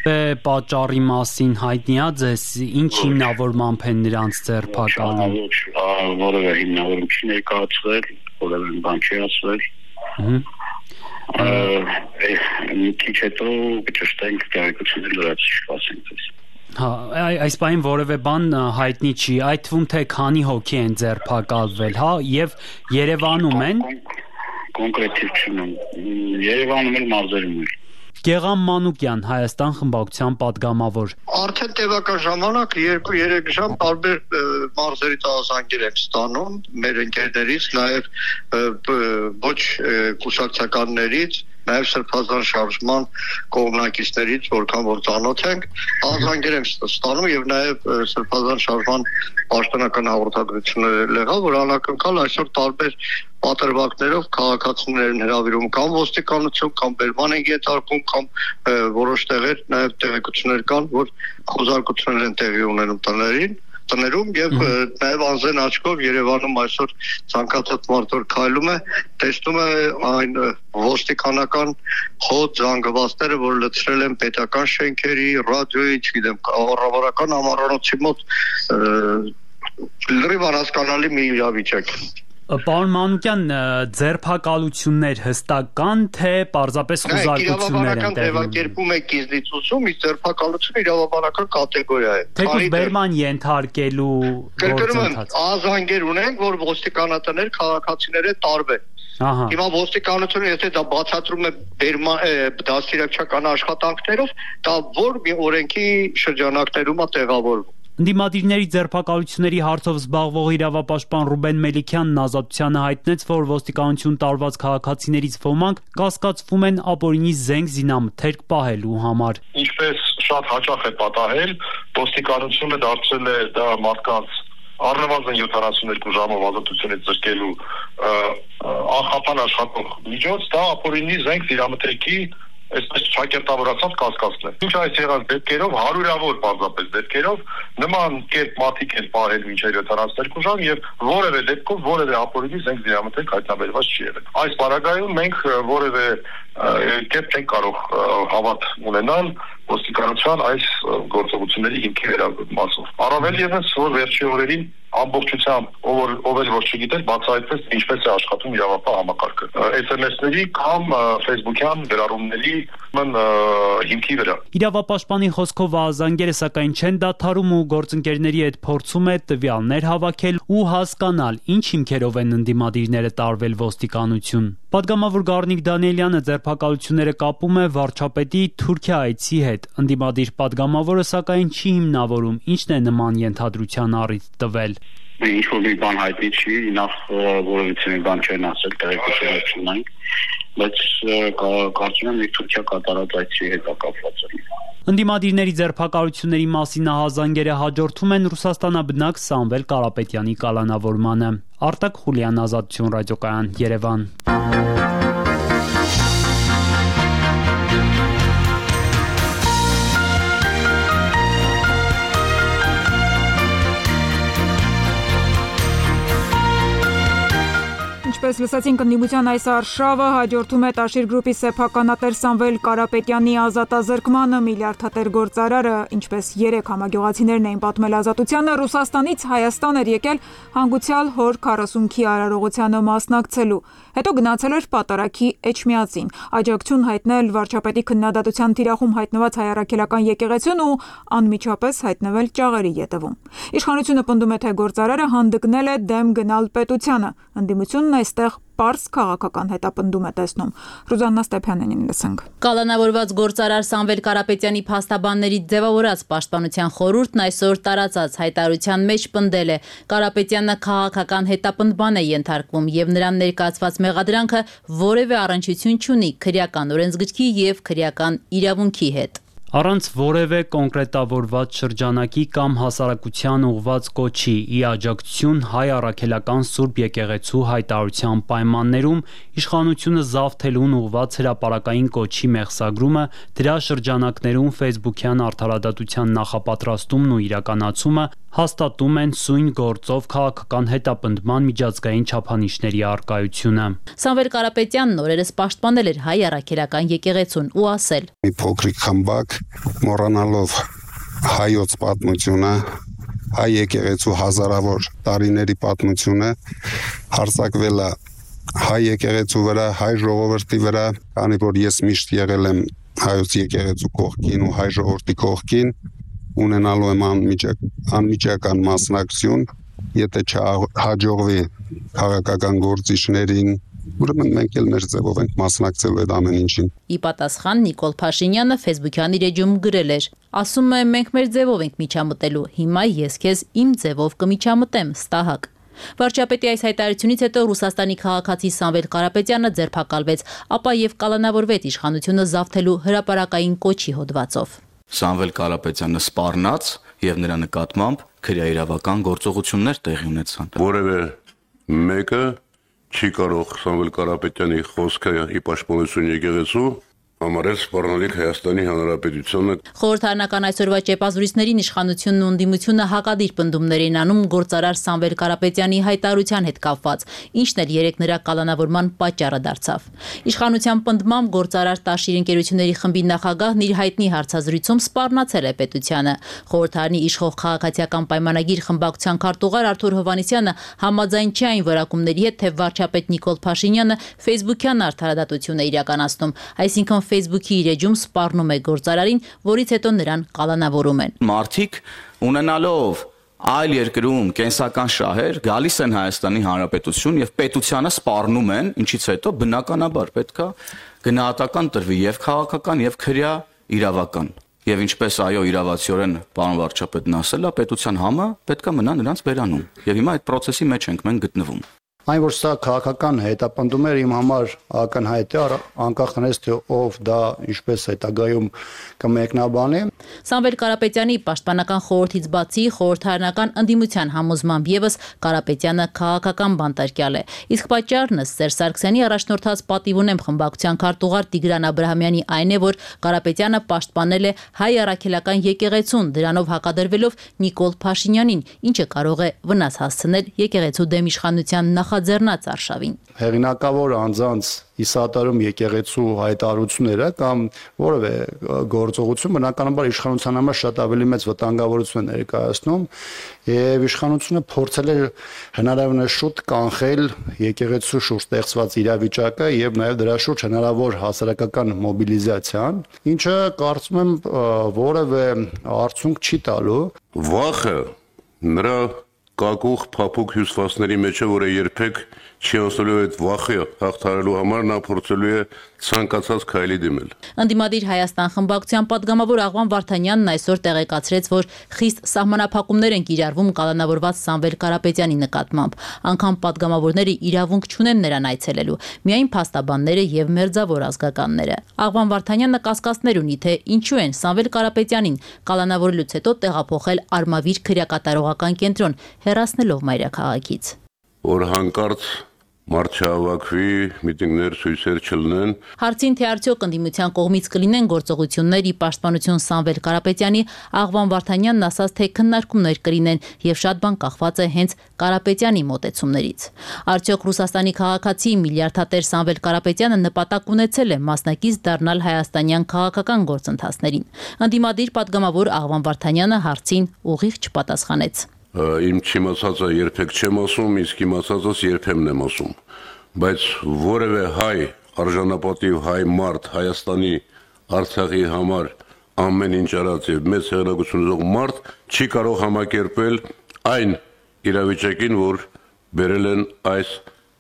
Է պատճառի մասին հայտնի է ձեզ ինչ հիմնավորմամբ են նրանց ձերբակալում։ Որևէ հիմնավորում չի ներկայացվել, որևէ բան չի ասվել։ Մի քիչ հետո կճշտենք տեղեկություններ լրացուցիչ կասենք ձեզ։ Հա, այս բանին որևէ բան հայտնի չի, այդ թվում թե քանի հոգի են ձերբակալվել, հա, եւ Երևանում են։ Կոնկրետիվ չունեմ։ Երևանում էլ մարզերում էլ։ Գեղամ Մանուկյան, Հայաստան խմբակցության падգամավոր։ Արդեն տևական ժամանակ երկու-երեք ժամ տարբեր մարզերից ահազանգեր ենք ստանում մեր ընկերներից, նաև ոչ կուսակցականներից, նաև Սրբազան շարժման կողմնակիցներից, որքան որ ծանոթ ենք, ահազանգեր ենք ստանում եւ նաև Սրբազան շարժման պաշտոնական հաղորդագրություններ եղավ, որ անակնկալ այսօր տարբեր պատրվակներով քաղաքացիներն հրավիրում կամ ոստիկանություն, կամ բերման են ենթարկում, կամ որոշ տեղեր նաև տեղեկություններ կան, որ խոզարկություններ են տեղի ունենում տներին, տներում եւ նաև անզեն աչքով Երևանում այսօր ցանկացած մարդ որ քայլում է, տեսնում է այն ոստիկանական խոտ զանգվածները, որ լցրել են պետական շենքերի, ռադիոյի, չգիտեմ, կառավարական ամառանոցի մոտ լրիվ անհասկանալի մի իրավիճակ։ Պարոն Մանուկյան, ձերբակալություններ հստակ կան, թե պարզապես խոզարկություններ են տեղի ունենում։ Իրավաբանական ձևակերպում է կիզնիցություն, իսկ ձերբակալությունը իրավաբանական կատեգորիա է։ Թեկուզ բերման ենթարկելու գործընթաց։ Ահազանգեր ունենք, որ ոստիկանատներ քաղաքացիները տարբեր։ Հիմա ոստիկանությունը եթե դա բացատրում է բերման դաստիարակչական աշխատանքներով, դա որ մի օրենքի շրջանակներում է տեղավորվում։ Ընդդիմադիրների ձերբակալությունների հարցով զբաղվող իրավապաշտպան Ռուբեն Մելիքյանն Ազատությանը հայտնեց, որ ոստիկանություն տարված քաղաքացիներից ոմանք կասկածվում են ապօրինի զենք զինամթերք պահելու համար։ Ինչպես շատ հաճախ է պատահել, ոստիկանությունը դարձել է դա մարդկանց առնվազն յոթանասունյոթ ժամով ազատությունից զրկելու անխափան աշխատող միջոց, դա ապօրինի զենք զինամթերքի այսպես ճակերտավորացած կասկածն է։ Ինչ այս եղած դեպքերով հարյուրավոր պարզապես դեպքերով նման կերպ մատիկ են պահել մինչև յոթանասունյոթ ժամ եւ որևէ դեպքով որևէ ապօրինի զենք զինամթերք հայտնաբերված չի եղել։ Այս պարագայում մենք որևէ կերպ չենք կարող հավատ ունենալ ոստիկանության այս գործողությունների հիմքի վերաբերմասով։ Առավել ևս որ վերջի օրերին ամբողջությամբ ով ով էլ որ չգիտեր բացահայտվեց ինչպես է աշխատում իրավապահ համակարգը էս էմ էս-ների կամ Facebook-յան գրառումների հիմքի վրա։ Իրավապաշտպանի խոսքով ազանգերը սակայն չեն դադարում ու գործընկերների հետ փորձում է տվյալներ հավաքել ու հասկանալ ինչ հիմքերով են ընդդիմադիրները տարվել ոստիկանություն։ Պատգամավոր Գառնիկ Դանիելյանը ձերբակալությունները կապում է վարչապետի Թուրքիա այցի հետ։ Ընդդիմադիր պատգամավորը սակայն չի հիմնավորում ինչն է նման ենթադրության առիթ տվել։ Ինչ որ մի բան հայտնի չի, նախ որովհետեւ մի բան չեն ասել, տեղեկություն չունենք, բայց կարծում եմ Թուրքիա կատարած այցի հետ կապված է։ Ընդդիմադիրների ձերբակալությունների մասին ահազանգերը հաջորդում են Ռուսաստանաբնակ Սամվել Կարապետյանի կալանավորմանը։ Արտակ Խուլյան, Ազատություն ռադիոկայան, Երևան։ Ինչպես լսեցինք, ընդդիմության այս արշավը հաջորդում է Տաշիր գրուպի սեփականատեր Սամվել Կարապետյանի ազատազրկմանը։ Միլիարդատեր գործարարը, ինչպես երեք համագյուղացիներն էին պատմել Ազատությանը, Ռուսաստանից Հայաստան էր եկել հանգուցյալ հոր քառասունքի արարողությանը մասնակցելու, հետո գնացել էր պատարագի Էջմիածին, աջակցություն հայտնել վարչապետի քննադատության թիրախում հայտնված հայ առաքելական եկեղեցուն ու անմիջապես հայտնվել Ճաղերի ետևում։ Իշխանությունը պնդում է, թե գործարարը հանդգնել է դեմ գնալ պետությանը։ Ընդդիմությունն այստեղ պարզ քաղաքական հետապնդում է տեսնում։ Ռուզաննա Ստեփանյանին լսենք։ Կալանավորված գործարար Սամվել Կարապետյանի փաստաբանների ձևավորած պաշտպանության խորհուրդն այսօր տարածած հայտարարության մեջ պնդել է. Կարապետյանը քաղաքական հետապնդման է ենթարկվում եւ նրան ներկայացված մեղադրանքը որևէ առնչություն չունի քրեական օրենսգրքի եւ քրեական իրավունքի հետ։ Առանց որևէ կոնկրետավորված շրջանակի կամ հասարակության ուղված կոչի ի աջակցություն հայ առաքելական Սուրբ եկեղեցու հայտարարության պայմաններում իշխանությունը զավթելուն ուղված հրապարակային կոչի մեղսագրումը, դրա շրջանակներում ֆեյսբուքյան արդարադատության նախապատրաստումն ու իրականացումը հաստատում են սույն գործով քաղաքական հետապնդման միջազգային չափանիշների առկայությունը։ Սամվել Կարապետյանն օրերս պաշտպանել էր հայ առաքելական եկեղեցուն ու ասել. Մի փոքրիկ խմբակ մոռանալով հայոց պատմությունը, հայ եկեղեցու հազարավոր տարիների պատմությունը հարձակվել է հայ եկեղեցու վրա, հայ ժողովրդի վրա, քանի որ ես միշտ եղել եմ հայոց եկեղեցու կողքին ու հայ ժողովրդի կողքին, ունենալու եմ անմիջակ, անմիջական մասնակցություն, եթե չհաջողվի քաղաքական գործիչներին, ուրեմն մենք էլ մեր ձևով ենք մասնակցելու այդ ամեն ինչին։ Ի պատասխան Նիկոլ Փաշինյանը Facebook-յան իր էջում գրել էր. ասում եմ մենք մեր ձևով ենք միջամտելու, հիմա ես քեզ իմ ձևով կմիջամտեմ, ստահակ։ Վարչապետի այս հայտարարությունից հետո Ռուսաստանի քաղաքացի Սամվել Կարապետյանը ձերբակալվեց, ապա եւ կալանավորվեց իշխանությունը զավթելու հրապարակային կոչի հոդվածով։ Սամվել Կարապետյանը սպառնաց եւ նրա նկատմամբ քրեաիրավական գործողություններ տեղի ունեցան։ Որևէ մեկը չի կարող Սամվել Կարապետյանի խոսքը ի պաշտպանություն եկեղեցու համարել սպառնալիք Հայաստանի Հանրապետությանը։ Խորհրդարանական այսօրվա ճեպազրույցներին իշխանությունն ու ընդդիմությունը հակադիր պնդումներ են անում գործարար Սամվել Կարապետյանի հայտարարության հետ կապված, ինչն էլ երեք նրա կալանավորման պատճառը դարձավ։ Իշխանության պնդմամբ գործարար Տաշիր ընկերությունների խմբի նախագահն իր հայտնի հարցազրույցում սպառնացել է պետությանը։ Խորհրդարանի իշխող քաղաքացիական պայմանագիր խմբակցության քարտուղար Արթուր Հովհաննիսյանը համաձայն չէ այն որակումների հետ, թե վարչապետ Նիկոլ Փաշինյանը Facebook-յան արդարադատություն է իրականացնում, այսինքն Facebook-ի իր էջում սպառնում է գործարարին, որից հետո նրան կալանավորում են։ Մարդիկ ունենալով այլ երկրում կենսական շահեր գալիս են Հայաստանի Հանրապետություն եւ պետությանը սպառնում են, ինչից հետո բնականաբար պետքա գնահատական տրվի եւ քաղաքական եւ քրեա իրավական։ Եվ ինչպես այո իրավացիորեն պարոն վարչապետն ասել է, պետության համը պետքա մնա նրանց բերանում։ Եվ հիմա այդ process-ի մեջ ենք մենք գտնվում։ Այն որ սա քաղաքական հետապնդում էր իմ համար ակնհայտ է, անկախ նրանից թե ով դա ինչպես հետագայում կմեկնաբանի։ Սամվել Կարապետյանի պաշտպանական խորհրդից բացի խորհրդարանական ընդդիմության համոզմամբ եւս Կարապետյանը քաղաքական բանտարկյալ է։ Իսկ պատճառն ըստ Սերժ Սարգսյանի առաջնորդած պատիվ ունեմ խմբակցության քարտուղար Տիգրան Աբրահամյանի այն է, որ Կարապետյանը պաշտպանել է հայ առաքելական եկեղեցուն, դրանով հակադրվելով Նիկոլ Փաշինյանին, ինչը կարող է վնաս հասցնել եկեղեցու դեմ իշխանության նախաձեռնած արշավին։ Հեղինակավոր անձանց իսատարում եկեղեցու հայտարարությունները կամ որևէ գործողություն բնականաբար իշխանության համար շատ ավելի մեծ վտանգավորություն է ներկայացնում եւ իշխանությունը փորձել է հնարավորինս շուտ կանխել եկեղեցու շուրջ ստեղծված իրավիճակը եւ նաեւ դրա շուրջ հնարավոր հասարակական մոբիլիզացիան, ինչը կարծում եմ որևէ արդյունք չի տալու։ Վախը նրա կակուղ փափուկ հյուսվածների մեջ է, որը երբեք չի անցնելու այդ վախը հաղթահարելու համար նա փորձելու է ցանկացած քայլի դիմել։ Ընդդիմադիր Հայաստան խմբակցության падգամավոր Աղվան Վարդանյանն այսօր տեղեկացրեց, որ խիստ սահմանափակումներ են կիրառվում կալանավորված Սամվել Կարապետյանի նկատմամբ։ Անգամ падգամավորները իրավունք չունեն նրան այցելելու, միայն փաստաբանները եւ մերձավոր ազգականները։ Աղվան Վարդանյանը կասկածներ ունի, թե ինչու են Սամվել Կարապետյանին կալանավորելուց հետո տեղափոխել Արմավիր քրեակատարողական կենտրոն, հեռացնելով մայրաքաղաքից։ Որ հանկարծ մարդ չհավաքվի, միտինգներ, ցույցեր չլինեն։ Հարցին թե արդյոք ընդդիմության կողմից կլինեն գործողություններ ի պաշտպանություն Սամվել Կարապետյանի, Աղվան Վարդանյանն ասաց, թե քննարկումներ կլինեն եւ շատ բան կախված է հենց Կարապետյանի մոտեցումներից։ Արդյոք Ռուսաստանի քաղաքացի միլիարդատեր Սամվել Կարապետյանը նպատակ ունեցել է մասնակից դառնալ հայաստանյան քաղաքական գործընթացներին։ Ընդդիմադիր падգամավոր Աղվան Վարդանյանը հարցին ուղիղ չպատասխանեց։ Իմ չիմացածը երբեք չեմ ասում, իսկ իմացածս երբեմն եմ ասում, բայց որևէ հայ արժանապատիվ հայ մարդ Հայաստանի Արցախի համար ամեն ինչ արած եւ մեծ հեղինակություն ունեցող մարդ չի կարող համակերպել այն իրավիճակին, որ բերել են այս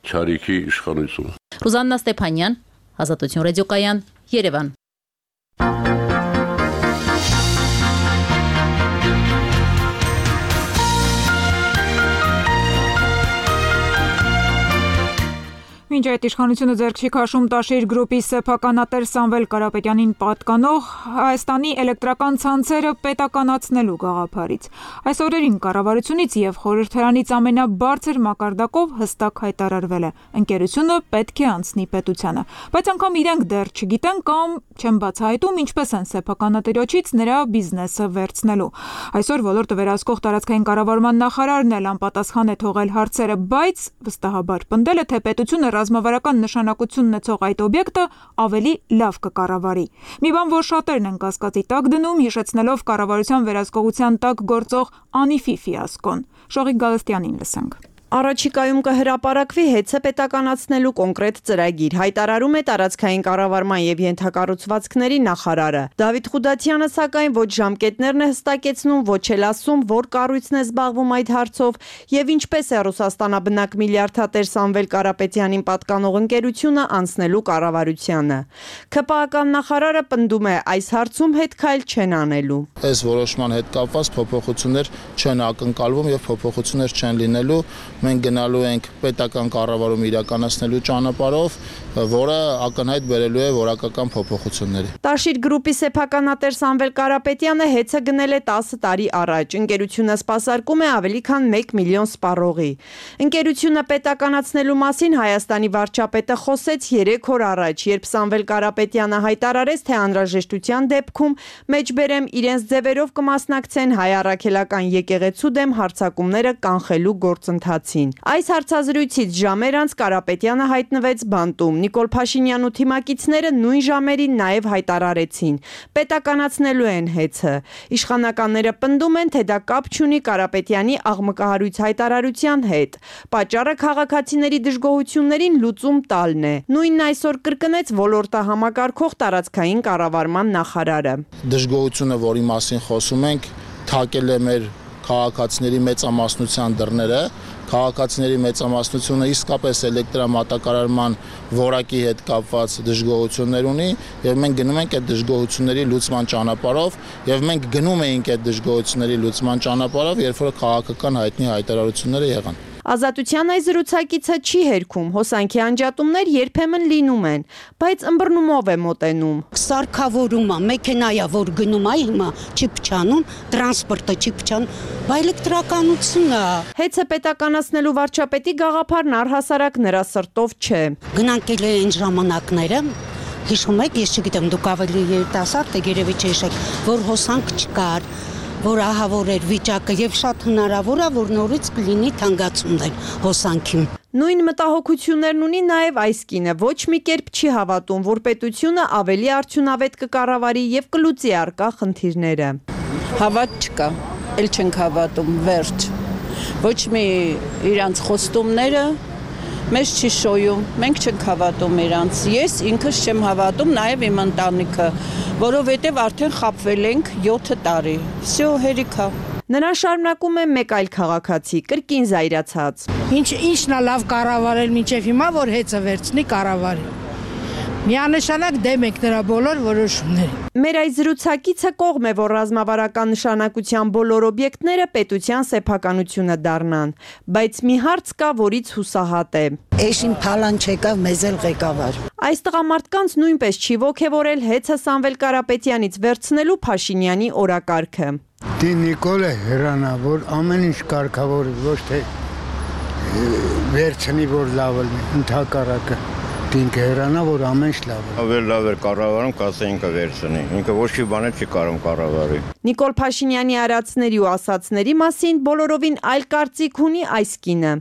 չարիքի իշխանությունը։ Ռուզաննա Ստեփանյան, Ազատություն ռադիոկայան, Երևան։ Մինչ այդ իշխանությունը ձեռք չի քաշում Տաշիր գրուպի սեփականատեր Սամվել Կարապետյանին պատկանող Հայաստանի էլեկտրական ցանցերը պետականացնելու գաղափարից։ Այս օրերին կառավարությունից եւ խորհրդարանից ամենաբարձր մակարդակով հստակ հայտարարվել է. ընկերությունը պետք է անցնի պետությանը, բայց անգամ իրենք դեռ չգիտեն կամ չեն բացահայտում ինչպես են սեփականատիրոջից նրա բիզնեսը վերցնելու։ Այսօր ոլորտը վերահսկող տարածքային կառավարման նախարարն էլ անպատասխան է թողել հարցերը, բայց վստահաբար պնդել է, թե պետությունը ռազմավարական նշանակություն ունեցող այդ օբյեկտը ավելի լավ կկառավարի։ Մի բան, որ շատերն են կասկածի տակ դնում, հիշեցնելով կառավարության վերահսկողության տակ գործող Անիֆի ֆիասկոն։ Շողիկ Գալստյանին լսենք։ Առաջիկայում կհրապարակվի հեծը պետականացնելու կոնկրետ ծրագիր, հայտարարում է տարածքային կառավարման եւ ենթակառուցվածքների նախարարը։ Դավիթ Խուդատյանը սակայն ոչ ժամկետներն է հստակեցնում, ոչ էլ ասում, որ կառույցն է զբաղվում այդ հարցով եւ ինչպես է Ռուսաստանաբնակ միլիարդատեր Սամվել Կարապետյանին պատկանող ընկերությունը անցնելու կառավարությանը։ ՔՊԱ-ական նախարարը պնդում է, այս հարցում հետքայլ չեն անելու։ Այս որոշման հետ կապված փոփոխություններ չեն ակնկալվում եւ փոփոխություններ չեն լինելու։ Մենք գնալու ենք պետական կառավարում իրականացնելու ճանապարհով, որը ակնհայտ բերելու է որակական փոփոխությունների։ Տաշիր գրուպի սեփականատեր Սամվել Կարապետյանը հեծը գնել է տասը տարի առաջ։ Ընկերությունը սպասարկում է ավելի քան մեկ միլիոն սպառողի։ Ընկերությունը պետականացնելու մասին Հայաստանի վարչապետը խոսեց երեք օր առաջ, երբ Սամվել Կարապետյանը հայտարարեց, թե անհրաժեշտության դեպքում մեջբերեմ իրենց ձևերով կմասնակցեն հայ առաքելական եկեղեցու դեմ հարձակումները կանխելու գործընթացին։ Այս հարցազրույցից ժամեր անց Կարապետյանը հայտնվեց բանտում։ Նիկոլ Փաշինյանու թիմակիցները նույն ժամերին նաև հայտարարեցին. պետականացնելու են հեծը։ Իշխանականները պնդում են, թե դա կապ չունի Կարապետյանի աղմկահարույց հայտարարության հետ։ Պատճառը քաղաքացիների դժգոհություններին լուծում տալն է։ Նույնն այսօր կրկնեց ոլորտը համակարգող տարածքային կառավարման նախարարը։ Դժգոհությունը, որի մասին խոսում ենք, թակել է մեր քաղաքացիների մեծամասնության դռները, քաղաքացիների մեծամասնությունը իսկապես էլեկտրամատակարարման որակի հետ կապված դժգոհություններ ունի եւ մենք գնում ենք այդ դժգոհությունների լուծման ճանապարհով եւ մենք գնում էինք այդ դժգոհությունների լուծման ճանապարհով, երբ որ քաղաքական հայտնի հայտարարությունները եղան։ Ազատության այս զրուցակիցը չի հերքում, հոսանքի անջատումներ երբեմն լինում են, բայց ըմբռնումով է մոտենում։ Սարքավորումա, մեքենայա, որ գնում է հիմա չի փչանում, տրանսպորտը չի փչանում, բայց էլեկտրականությունը։ Հեծը պետականացնելու վարչապետի գաղափարն առհասարակ նրա սրտով չէ։ Գնանք էլ այն ժամանակները, հիշում եք, ես չգիտեմ, դուք ավելի երիտասարդ եք, երևի չհիշեք, որ հոսանք չկար, որ ահավոր էր վիճակը եւ շատ հնարավոր է, որ նորից կլինի թանկացումներ հոսանքի։ Նույն մտահոգություններն ունի նաև այս կինը, ոչ մի կերպ չի հավատում, որ պետությունը ավելի արդյունավետ կկառավարի եւ կլուծի առկա խնդիրները։ Հավատ չկա, էլ չենք հավատում, վերջ։ Ոչ մի իրանց խոստումները մեզ չի շոյում, մենք չենք հավատում իրանց։ Ես ինքս չեմ հավատում, նաև իմ ընտանիքը, որովհետև արդեն խաբվել ենք յոթ տարի։ Всё, հերիքա։ Նրան շարունակում է մեկ այլ քաղաքացի, կրկին զայրացած։ Ինչ ինչն է լավ կառավարել մինչև հիմա, որ հեծը վերցնի կառավարի։ Միանշանակ դեմ եք նրա բոլոր որոշումներին։ Մեր այս զրուցակիցը կողմ է, որ ռազմավարական նշանակության բոլոր օբյեկտները պետության սեփականությունը դառնան, բայց մի հարց կա, որից հուսահատ է։ Էշին փալան չեկավ, մեզ էլ ղեկավար։ Այս տղամարդկանց նույնպես չի ոգևորել հեծը Սամվել Կարապետյանից վերցնելու Փաշինյանի օրակարգը։ Դի Նիկոլը հրանավոր ամեն ինչ կարգավոր ոչ թե վերցնի որ լավ լինի, ընդհակառակը ինքը հրանա որ ամեն ինչ լավ է։ Ավելի լավ էր կառավարում, կասե ինքը վերցնի։ Ինքը ոչ մի բան չի կարող կառավարի։ Նիկոլ Փաշինյանի արածների ու ասացների մասին բոլորովին այլ կարծիք ունի այս կինը։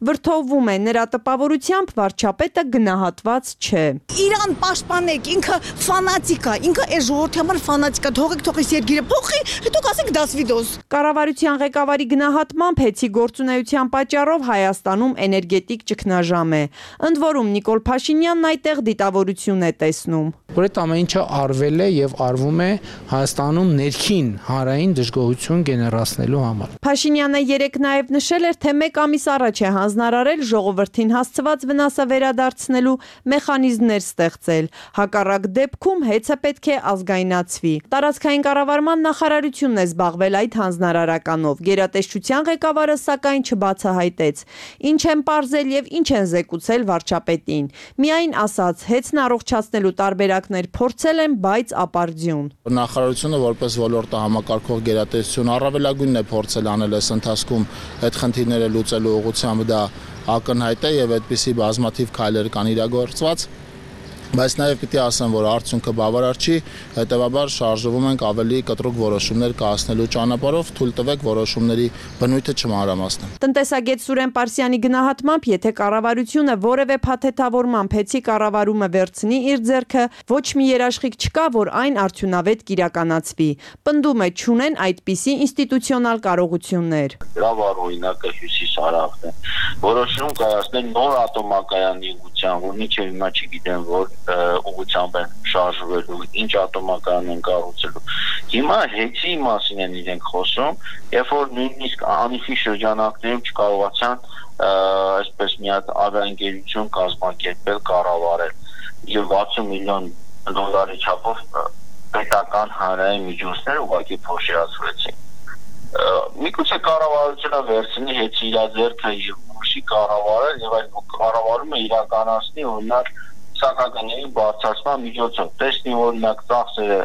Վրդովվում է նրա տպավորությամբ վարչապետը գնահատված չէ։ Իրան պաշտպանեք, ինքը ֆանատիկ է, ինքը այս ժողովրդի համար ֆանատիկ է, թողեք թողես երկիրը փոխի, հետո կասեք դասվիդոս։ Կառավարության ղեկավարի գնահատմամբ հեծի գործունեության պատճառով Հայաստանում էներգետիկ ճգնաժամ է։ Ընդ որում Նիկոլ Փաշինյանն այդտեղ դիտավորություն է տեսնում։ Որ այդ ամեն ինչը արվել է եւ արվում է Հայաստանում ներքին հանրային դժգոհություն գեներացնելու համար։ Փաշինյանը երեկ նաեւ նշել էր, թե մեկ ամիս առաջ է հանձնարարել ժողովրդին հասցված վնասը վերադարձնելու մեխանիզմներ ստեղծել։ Հակառակ դեպքում հեծը պետք է ազգայնացվի։ Տարածքային կառավարման նախարարությունն է զբաղվել այդ հանձնարարականով։ Գերատեսչության ղեկավարը սակայն չբացահայտեց ինչ են պարզել եւ ինչ են զեկուցել վարչապետին։ Միայն ասաց, հեծն առողջացնելու տարբերակներ փորձել են, բայց ապարդյուն։ Նախարարությունը որպես ոլորտը համակարգող գերատեսչություն առավելագույնն է փորձել անել այս ընթացքում այդ խնդիրները լուծելու ուղղությամբ դա ակնհայտ է եւ այդպիսի բազմաթիվ քայլեր կան իրագործված, բայց նաև պիտի ասեմ, որ արդյունքը բավարար չի, հետեւաբար շարժվում ենք ավելի կտրուկ որոշումներ կայացնելու ճանապարհով, թույլ տվեք որոշումների բնույթը չմանրամասնել։ Տնտեսագետ Սուրեն Պարսյանի գնահատմամբ, եթե կառավարությունը որևէ փաթեթավորմամբ հեծի կառավարումը վերցնի իր ձեռքը, ոչ մի երաշխիք չկա, որ այն արդյունավետ կիրականացվի։ Պնդում է, չունեն այդպիսի ինստիտուցիոնալ կարողություններ։ Լավ օրինակը Հյուսիսարավն է։ Որոշում կայացնել նոր ատոմակայանի ուղղությամբ, որ մինչև հիմա չգիտեմ, որ ուղղությամբ են շարժվելու, ինչ ատոմակայան են կառուցելու։ Հիմա հեծի մասին են իրենք խոսում, երբ որ նույնիսկ անիվի շրջանակներում չկարողացան այսպես մի հատ ավիաընկերություն կազմակերպել, կառավարել եւ վաթսուն միլիոն դոլարի չափով պետական հանրային միջոցներ ուղղակի փոշիացրեցին։ Միգուցե կառավարությունը վերցնի հեծի իր ձեռքը եւ ուշի կառավարել եւ այդ կառավարումը իրականացնի օրինակ սակագների բարձրացման միջոցով։ Տեսնի օրինակ ծախսերը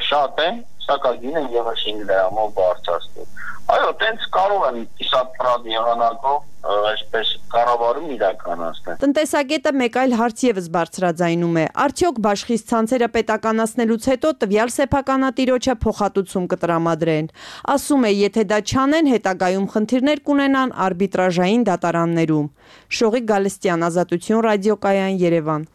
շատ են, սակագինը ևս հինգ դրամով բարձրացնել։ Այո, տենց կարող են իսապրատ եղանակով այսպես կառավարում իրականացնել։ Տնտեսագետը մեկ այլ հարց եւս բարձրաձայնում է. արդյոք բաշխից ցանցերը պետականացնելուց հետո տվյալ սեփականատիրոջը փոխհատուցում կտրամադրեն։ Ասում է, եթե դա չանեն, հետագայում խնդիրներ կունենան արբիտրաժային դատարաններում։ Շողիկ Գալստյան, Ազատություն ռադիոկայան, Երևան։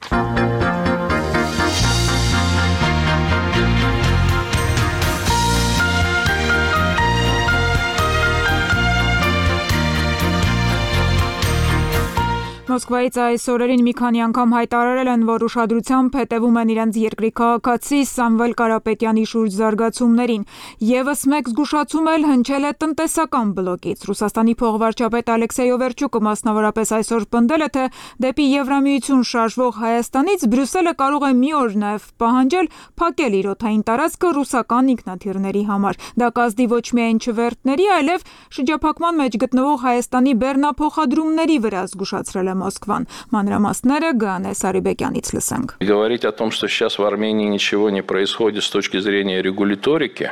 Մոսկվայից այս օրերին մի քանի անգամ հայտարարել են, որ ուշադրությամբ հետևում են իրենց երկրի քաղաքացի Սամվել Կարապետյանի շուրջ զարգացումներին։ Եվս մեկ զգուշացում էլ հնչել է տնտեսական բլոկից։ Ռուսաստանի փոխվարչապետ Ալեքսեյ Օվերչուկը մասնավորապես այսօր պնդել է, թե դեպի Եվրամիություն շարժվող Հայաստանից Բրյուսելը կարող է մի օր նաև պահանջել փակել իր օդային տարածքը ռուսական ինքնաթիռների համար։ Դա կազդի ոչ միայն չվերթների, այլև շրջափակման մեջ գտնվող Հայաստանի բեռնափոխադրումների վրա, զգուշացրել է Москван. Մանրամասները Ганե Սարիբեկյանից լսենք։ Говорить о том, что сейчас в Армении ничего не происходит с точки зрения регуляторики,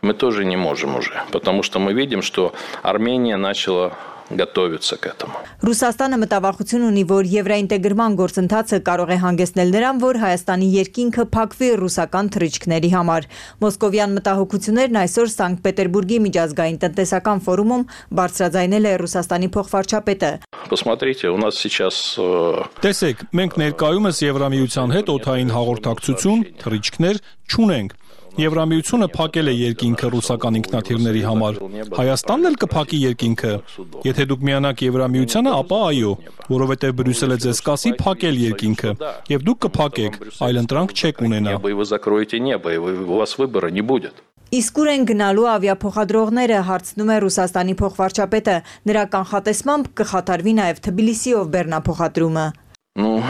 мы тоже не можем уже, потому что мы видим, что Армения начала готовится к этому. Ռուսաստանը մտավախություն ունի, որ եվրոինտեգրման գործընթացը կարող է հանգեցնել նրան, որ Հայաստանի երկինքը փակվի ռուսական թռիչքների համար։ Մոսկովյան մտահոգություններն այսօր Սանկտ Պետերբուրգի միջազգային տնտեսական ֆորումում բարձրաձայնել է Ռուսաստանի փոխվարչապետը։ Посмотрите, у нас сейчас Տեսեք, մենք ներկայումս Եվրամիության հետ օդային հաղորդակցություն, թռիչքներ չունենք։ Եվրամիությունը փակել է երկինքը ռուսական ինքնաթիռների համար։ Հայաստանն էլ կփակի երկինքը։ Եթե դուք միանաք Եվրամիությանը, ապա այո, որովհետև Բրյուսելը ձեզ կասի փակել երկինքը, եւ դուք կփակեք, այլ ընտրանք չեք ունենա։ Իսկ ուր են գնալու ավիափոխադրողները, հարցնում է Ռուսաստանի փոխվարչապետը։ Նրա կանխատեսմամբ կխաթարվի նաև Թբիլիսիով բեռնափոխադրումը։ Ну,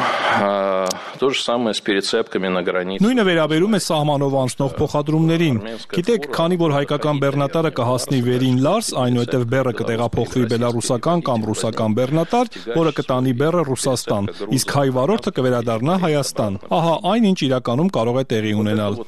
то же самое с перецепками на границе. Նույնը վերաբերում է սահմանով անցնող փոխադրումներին։ Գիտեք, քանի որ հայկական բեռնատարը կհասնի վերին Լարս, այնուհետև բեռը կտեղափոխվի բելարուսական կամ ռուսական բեռնատար, որը կտանի բեռը Ռուսաստան, իսկ հայ վարորդը կվերադառնա Հայաստան։ Ահա այն, ինչ իրականում կարող է տեղի ունենալ։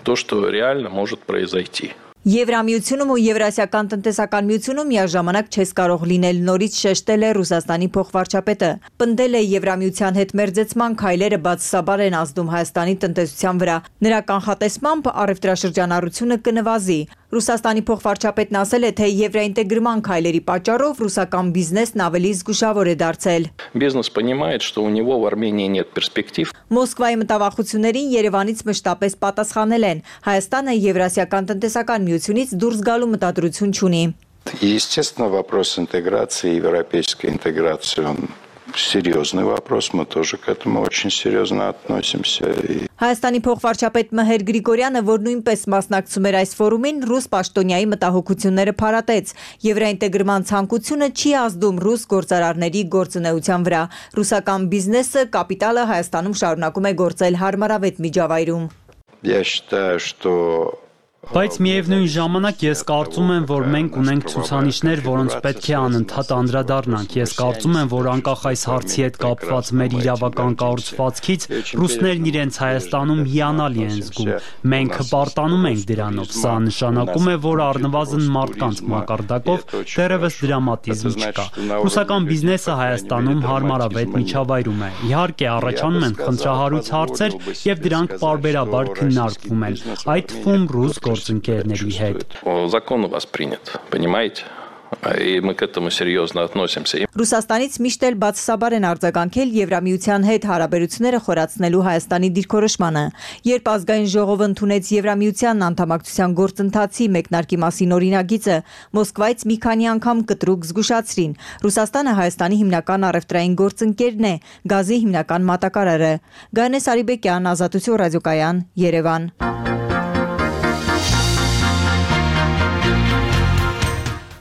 То, что реально может произойти. Եվրամիությունում ու Եվրասիական տնտեսական միությունում միաժամանակ չես կարող լինել, նորից շեշտել է Ռուսաստանի փոխվարչապետը։ Պնդել է Եվրամիության հետ մերձեցման քայլերը բացասաբար են ազդում Հայաստանի տնտեսության վրա։ Նրա կանխատեսմամբ առևտրաշրջանառությունը կնվազի։ Ռուսաստանի փոխվարչապետն ասել է, թե եվրոինտեգրման քայլերի պատճառով ռուսական բիզնեսն ավելի զգուշավոր է դարձել։ Бизнес понимает, что у него в Армении нет перспектив. Մոսկվայի մտավախություններին Երևանից մշտապես պատասխանել են։ Հայաստանը Եվրասիական տնտեսական միությունից դուրս գալու մտադրություն չունի։ Естественно, вопрос интеграции, европейской интеграции, он серьезный вопрос, мы тоже к этому очень серьезно относимся. Հայաստանի փոխվարչապետ Մհեր Գրիգորյանը, որ նույնպես մասնակցում էր այս ֆորումին, ռուս պաշտոնյայի մտահոգությունները փարատեց։ Եվրոինտեգրման ցանկությունը չի ազդում ռուս գործարարների գործունեության վրա։ Ռուսական բիզնեսը, կապիտալը Հայաստանում շարունակում է գործել հարմարավետ միջավայրում։ Я считаю, что Բայց միևնույն ժամանակ ես կարծում եմ, որ մենք ունենք ցուցանիշներ, որոնց պետք է անընդհատ անդրադառնանք։ Ես կարծում եմ, որ անկախ այս հարցի հետ կապված մեր իրավական կառուցվածքից ռուսներն իրենց Հայաստանում հիանալի են զգում։ Մենք հպարտանում ենք դրանով։ Սա նշանակում է, որ առնվազն մարդկանց մակարդակով դեռևս դրամատիզմ չկա։ Ռուսական բիզնեսը Հայաստանում հարմարավետ միջավայրում է։ Իհարկե, առաջանում են խնդրահարույց հարցեր եւ դրանք պարբերաբար քննարկվում են։ Այդ թվում ռուս Закон у вас принят, понимаете? И мы к этому серьезно относимся. Ռուսաստանից միշտ էլ բացասաբար են արձագանքել Եվրամիության հետ հարաբերությունները խորացնելու Հայաստանի դիրքորոշմանը։ Երբ ազգային ժողովը ընդունեց Եվրամիության անդամակցության գործընթացի մեկնարկի մասին օրինագիծը, Մոսկվայից մի քանի անգամ կտրուկ զգուշացրին։ Ռուսաստանը Հայաստանի հիմնական առևտրային գործընկերն է, գազի հիմնական մատակարարը։ Գայանե Սարիբեկյան, Ազատություն ռադիոկայան, Երևան։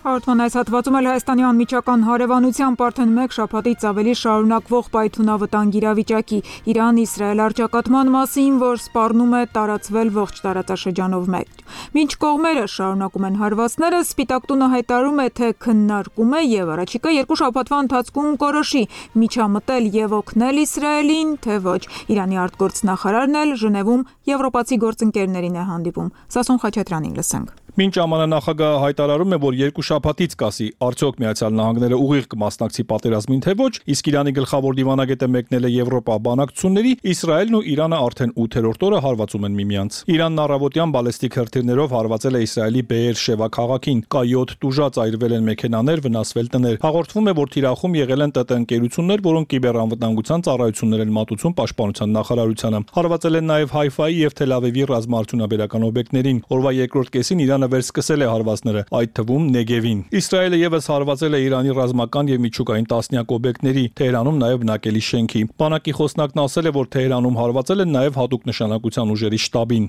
Հաղորդման այս հատվածում էլ Հայաստանի անմիջական հարևանությամբ արդեն մեկ շաբաթից ավելի շարունակվող պայթյունավտանգ իրավիճակի Իրան-Իսրայել առճակատման մասին, որ սպառնում է տարածվել ողջ տարածաշրջանով մեկ։ Մինչ կողմերը շարունակում են հարվածները, Սպիտակ տունը հայտարարում է, թե քննարկում է եւ առաջիկա երկու շաբաթվա ընթացքում կորոշի միջամտել եւ օգնել Իսրայելին, թե ոչ։ Իրանի արտգործնախարարն էլ Ժնևում եվրոպացի գործընկերներին է հանդիպում։ Սասուն Խաչատրյանին լսենք։ Մինչ ԱՄՆ-նախագահը հայտարարում է, որ երկու շաբաթից կասի արդյոք Միացյալ Նահանգները ուղիղ կմասնակցի պատերազմին թե ոչ, իսկ Իրանի գլխավոր դիվանագետը մեկնել է Եվրոպա բանակցությունների, Իսրայելն ու Իրանը արդեն ութերորդ օրը հարվածում են միմյանց։ Իրանն առավոտյան բալեստիկ հրթիռներով հարվածել է Իսրայելի Բեեր Շևա քաղաքին, կա յոթ տուժած այրվել են մեքենաներ, վնասվել տներ։ Հաղորդվում է, որ թիրախում եղել են ՏՏ ընկերություններ, որոնք կիբերանվտանգության ծառայություններ են մատուցում պաշտպանության նախարարությանը։ Հարվածել են նաև Հայֆայի եւ Թել Ավիվի ռազմաարդյունաբերական օբյեկտներին։ Օրվա երկրորդ կեսին Իրանը վերսկսել է հարվածները, այդ թվում Նեգևին։ Իսրայելը եւս հարվածել է Իրանի ռազմական եւ միջուկային տասնյակ օբյեկտների, Թեհրանում նաեւ բնակելի շենքի։ Բանակի խոսնակն ասել է, որ Թեհրանում հարվածել են նաեւ հատուկ նշանակության ուժերի շտաբին։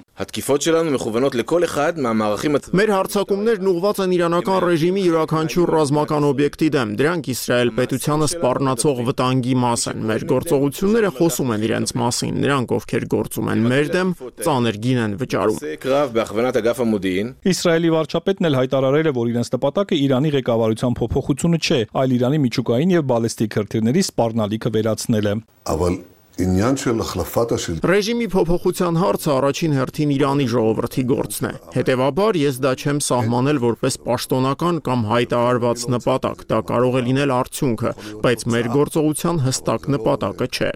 Մեր հարձակումներն ուղղված են իրանական ռեժիմի յուրաքանչյուր ռազմական օբյեկտի դեմ։ Դրանք Իսրայել պետությանը սպառնացող վտանգի մաս են։ Մեր գործողությունները խոսում են իրենց մասին։ Նրանք, ովքեր գործում են մեր դեմ, ծանր գին են վճարում։ Իսրայելի վարչապետն էլ հայտարարել է, որ իրենց նպատակը Իրանի ղեկավարության փոփոխությունը չէ, այլ Իրանի միջուկային եւ բալեստիկ հրթիռների սպառնալիքը վերացնել է։ Ռեժիմի փոփոխության հարցը առաջին հերթին Իրանի ժողովրդի գործն է։ Հետևաբար ես դա չեմ սահմանել որպես պաշտոնական կամ հայտարարված նպատակ, դա կարող է լինել արդյունքը, բայց մեր գործողության հստակ նպատակը չէ։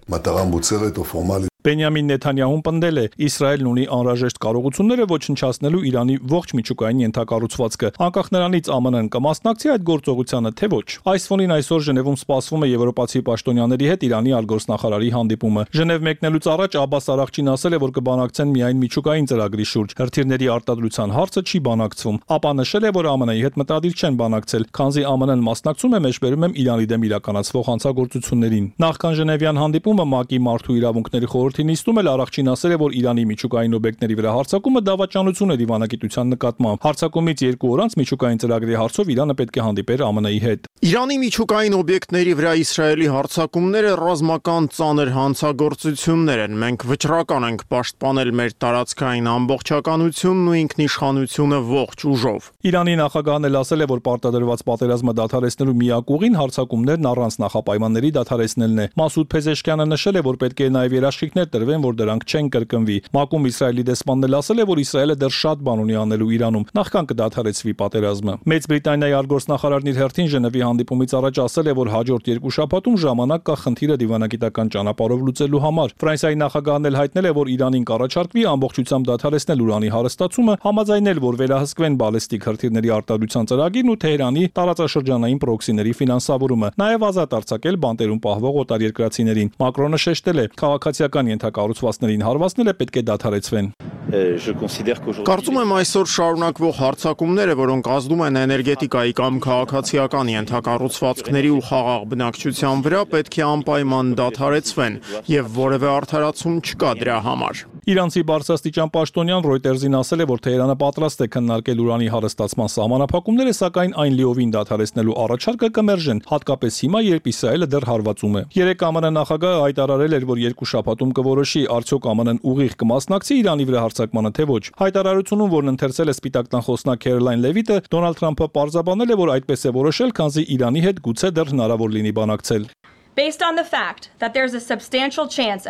Բենյամին Նեթանյահուն պնդել է. Իսրայելն ունի անհրաժեշտ կարողությունները ոչնչացնելու Իրանի ողջ միջուկային ենթակառուցվածքը, անկախ նրանից ԱՄՆ-ն կմասնակցի այդ գործողությանը, թե ոչ։ Այս ֆոնին այսօր Ժնևում սպասվում է եվրոպացի պաշտոնյաների հետ Իրանի արտգործնախարարի հանդիպումը։ Ժնև մեկնելուց առաջ Աբբաս Արաղչին ասել է, որ կբանակցեն միայն միջուկային ծրագրի շուրջ, հրթիռների արտադրության հարցը չի բանակցվում։ Ապա նշել է, որ ԱՄՆ-ի հետ մտադիր չեն բանակցել, քանզի ԱՄՆ-ն մասնակցում է մեջբերում եմ Իրանի դեմ իրականացվող հանցագործություններին։ Նախքան Ժնևյան հանդիպումը ՄԱԿ-ի մարդու իրավունքների խորհրդի նիստում էլ Արաղչին ասել է, որ Իրանի միջուկային օբյեկտների վրա հարձակումը դավաճանություն է դիվանագիտության նկատմամբ։ Հարձակումից երկու օր անց միջուկային ծրագրի հարցով Իրանը պետք է հանդիպեր ԱՄՆ-ի հետ։ Իրանի միջուկային օբյեկտների վրա Իսրայելի հարձակումները ռազմական ծանր հանցագործություններ են։ Մենք վճռական ենք պաշտպանել մեր տարածքային ամբողջականությունն ու ինքնիշխանությունը ողջ ուժով։ Իրանի նախագահն էլ ասել է, որ պարտադրված պատերազմը դադարեցնելու միակ ուղին հարձակումներն առանց նախապայմանների դադարեցնելն է։ Մասուդ Փեզեշկյանը նշել է, որ պետք է նաև երաշխիքներ տրվեն, որ դրանք չեն կրկնվի։ ՄԱԿ-ում Իսրայելի դեսպանն էլ ասել է, որ Իսրայելը դեռ շատ բան ունի անելու Իրանում, նախքան կդադարեցվի պատերազմը։ Մեծ Բրիտանիայի արտգործնախարարն իր հերթին Ժնևի հանդիպումից առաջ ասել է, որ հաջորդ երկու շաբաթում ժամանակ կա խնդիրը դիվանագիտական ճանապարհով լուծելու համար։ Ֆրանսիայի նախագահն էլ հայտնել է, որ Իրանին կառաջարկվի ամբողջությամբ դադարեցնել ուրանի հարստացումը, համաձայնել, որ վերահսկվեն բալեստիկ հրթիռների արտադրության ծրագիրն ու Թեհրանի տարածաշրջանային պրոքսիների ֆինանսավորումը, նաև ազատ արձակել բանտերում պահվող օտարերկրացիներին։ Մակրոնը շեշտել է, քաղաքացիական ենթակառուցվածքներին հարվածները պետք է դադարեցվեն։ Կարծում եմ այսօր շարունակվող հարձակումները, որոնք ազդում են էներգետիկայի կամ քաղաքացիական ենթակառուցվածքների ու խաղաղ բնակչության վրա, պետք է անպայման դադարեցվեն եւ որևէ արդարացում չկա դրա համար։ Իրանցի բարձրաստիճան պաշտոնյան Reuters-ին ասել է, որ Թեհրանը պատրաստ է քննարկել ուրանի հարստացման սահմանափակումները, սակայն այն լիովին դադարեցնելու առաջարկը կմերժեն, հատկապես հիմա, երբ Իսրայելը դեռ հարվածում է։ Երեք ԱՄՆ նախագահը հայտարարել էր, որ երկու շաբաթում կորոշի արդյոք ԱՄՆ-ն ուղիղ կմասնակցի Իրանի վրա հարձակմանը, թե ոչ։ Հայտարարությունում, որն ընթերցել է Սպիտակ տան խոսնակ Քերոլայն Լևիտը, Դոնալդ Թրամփը պարզաբանել է, որ այդպես է որոշել, քանզի Իրանի հետ գուցե դեռ հնարավոր լինի բանակցել։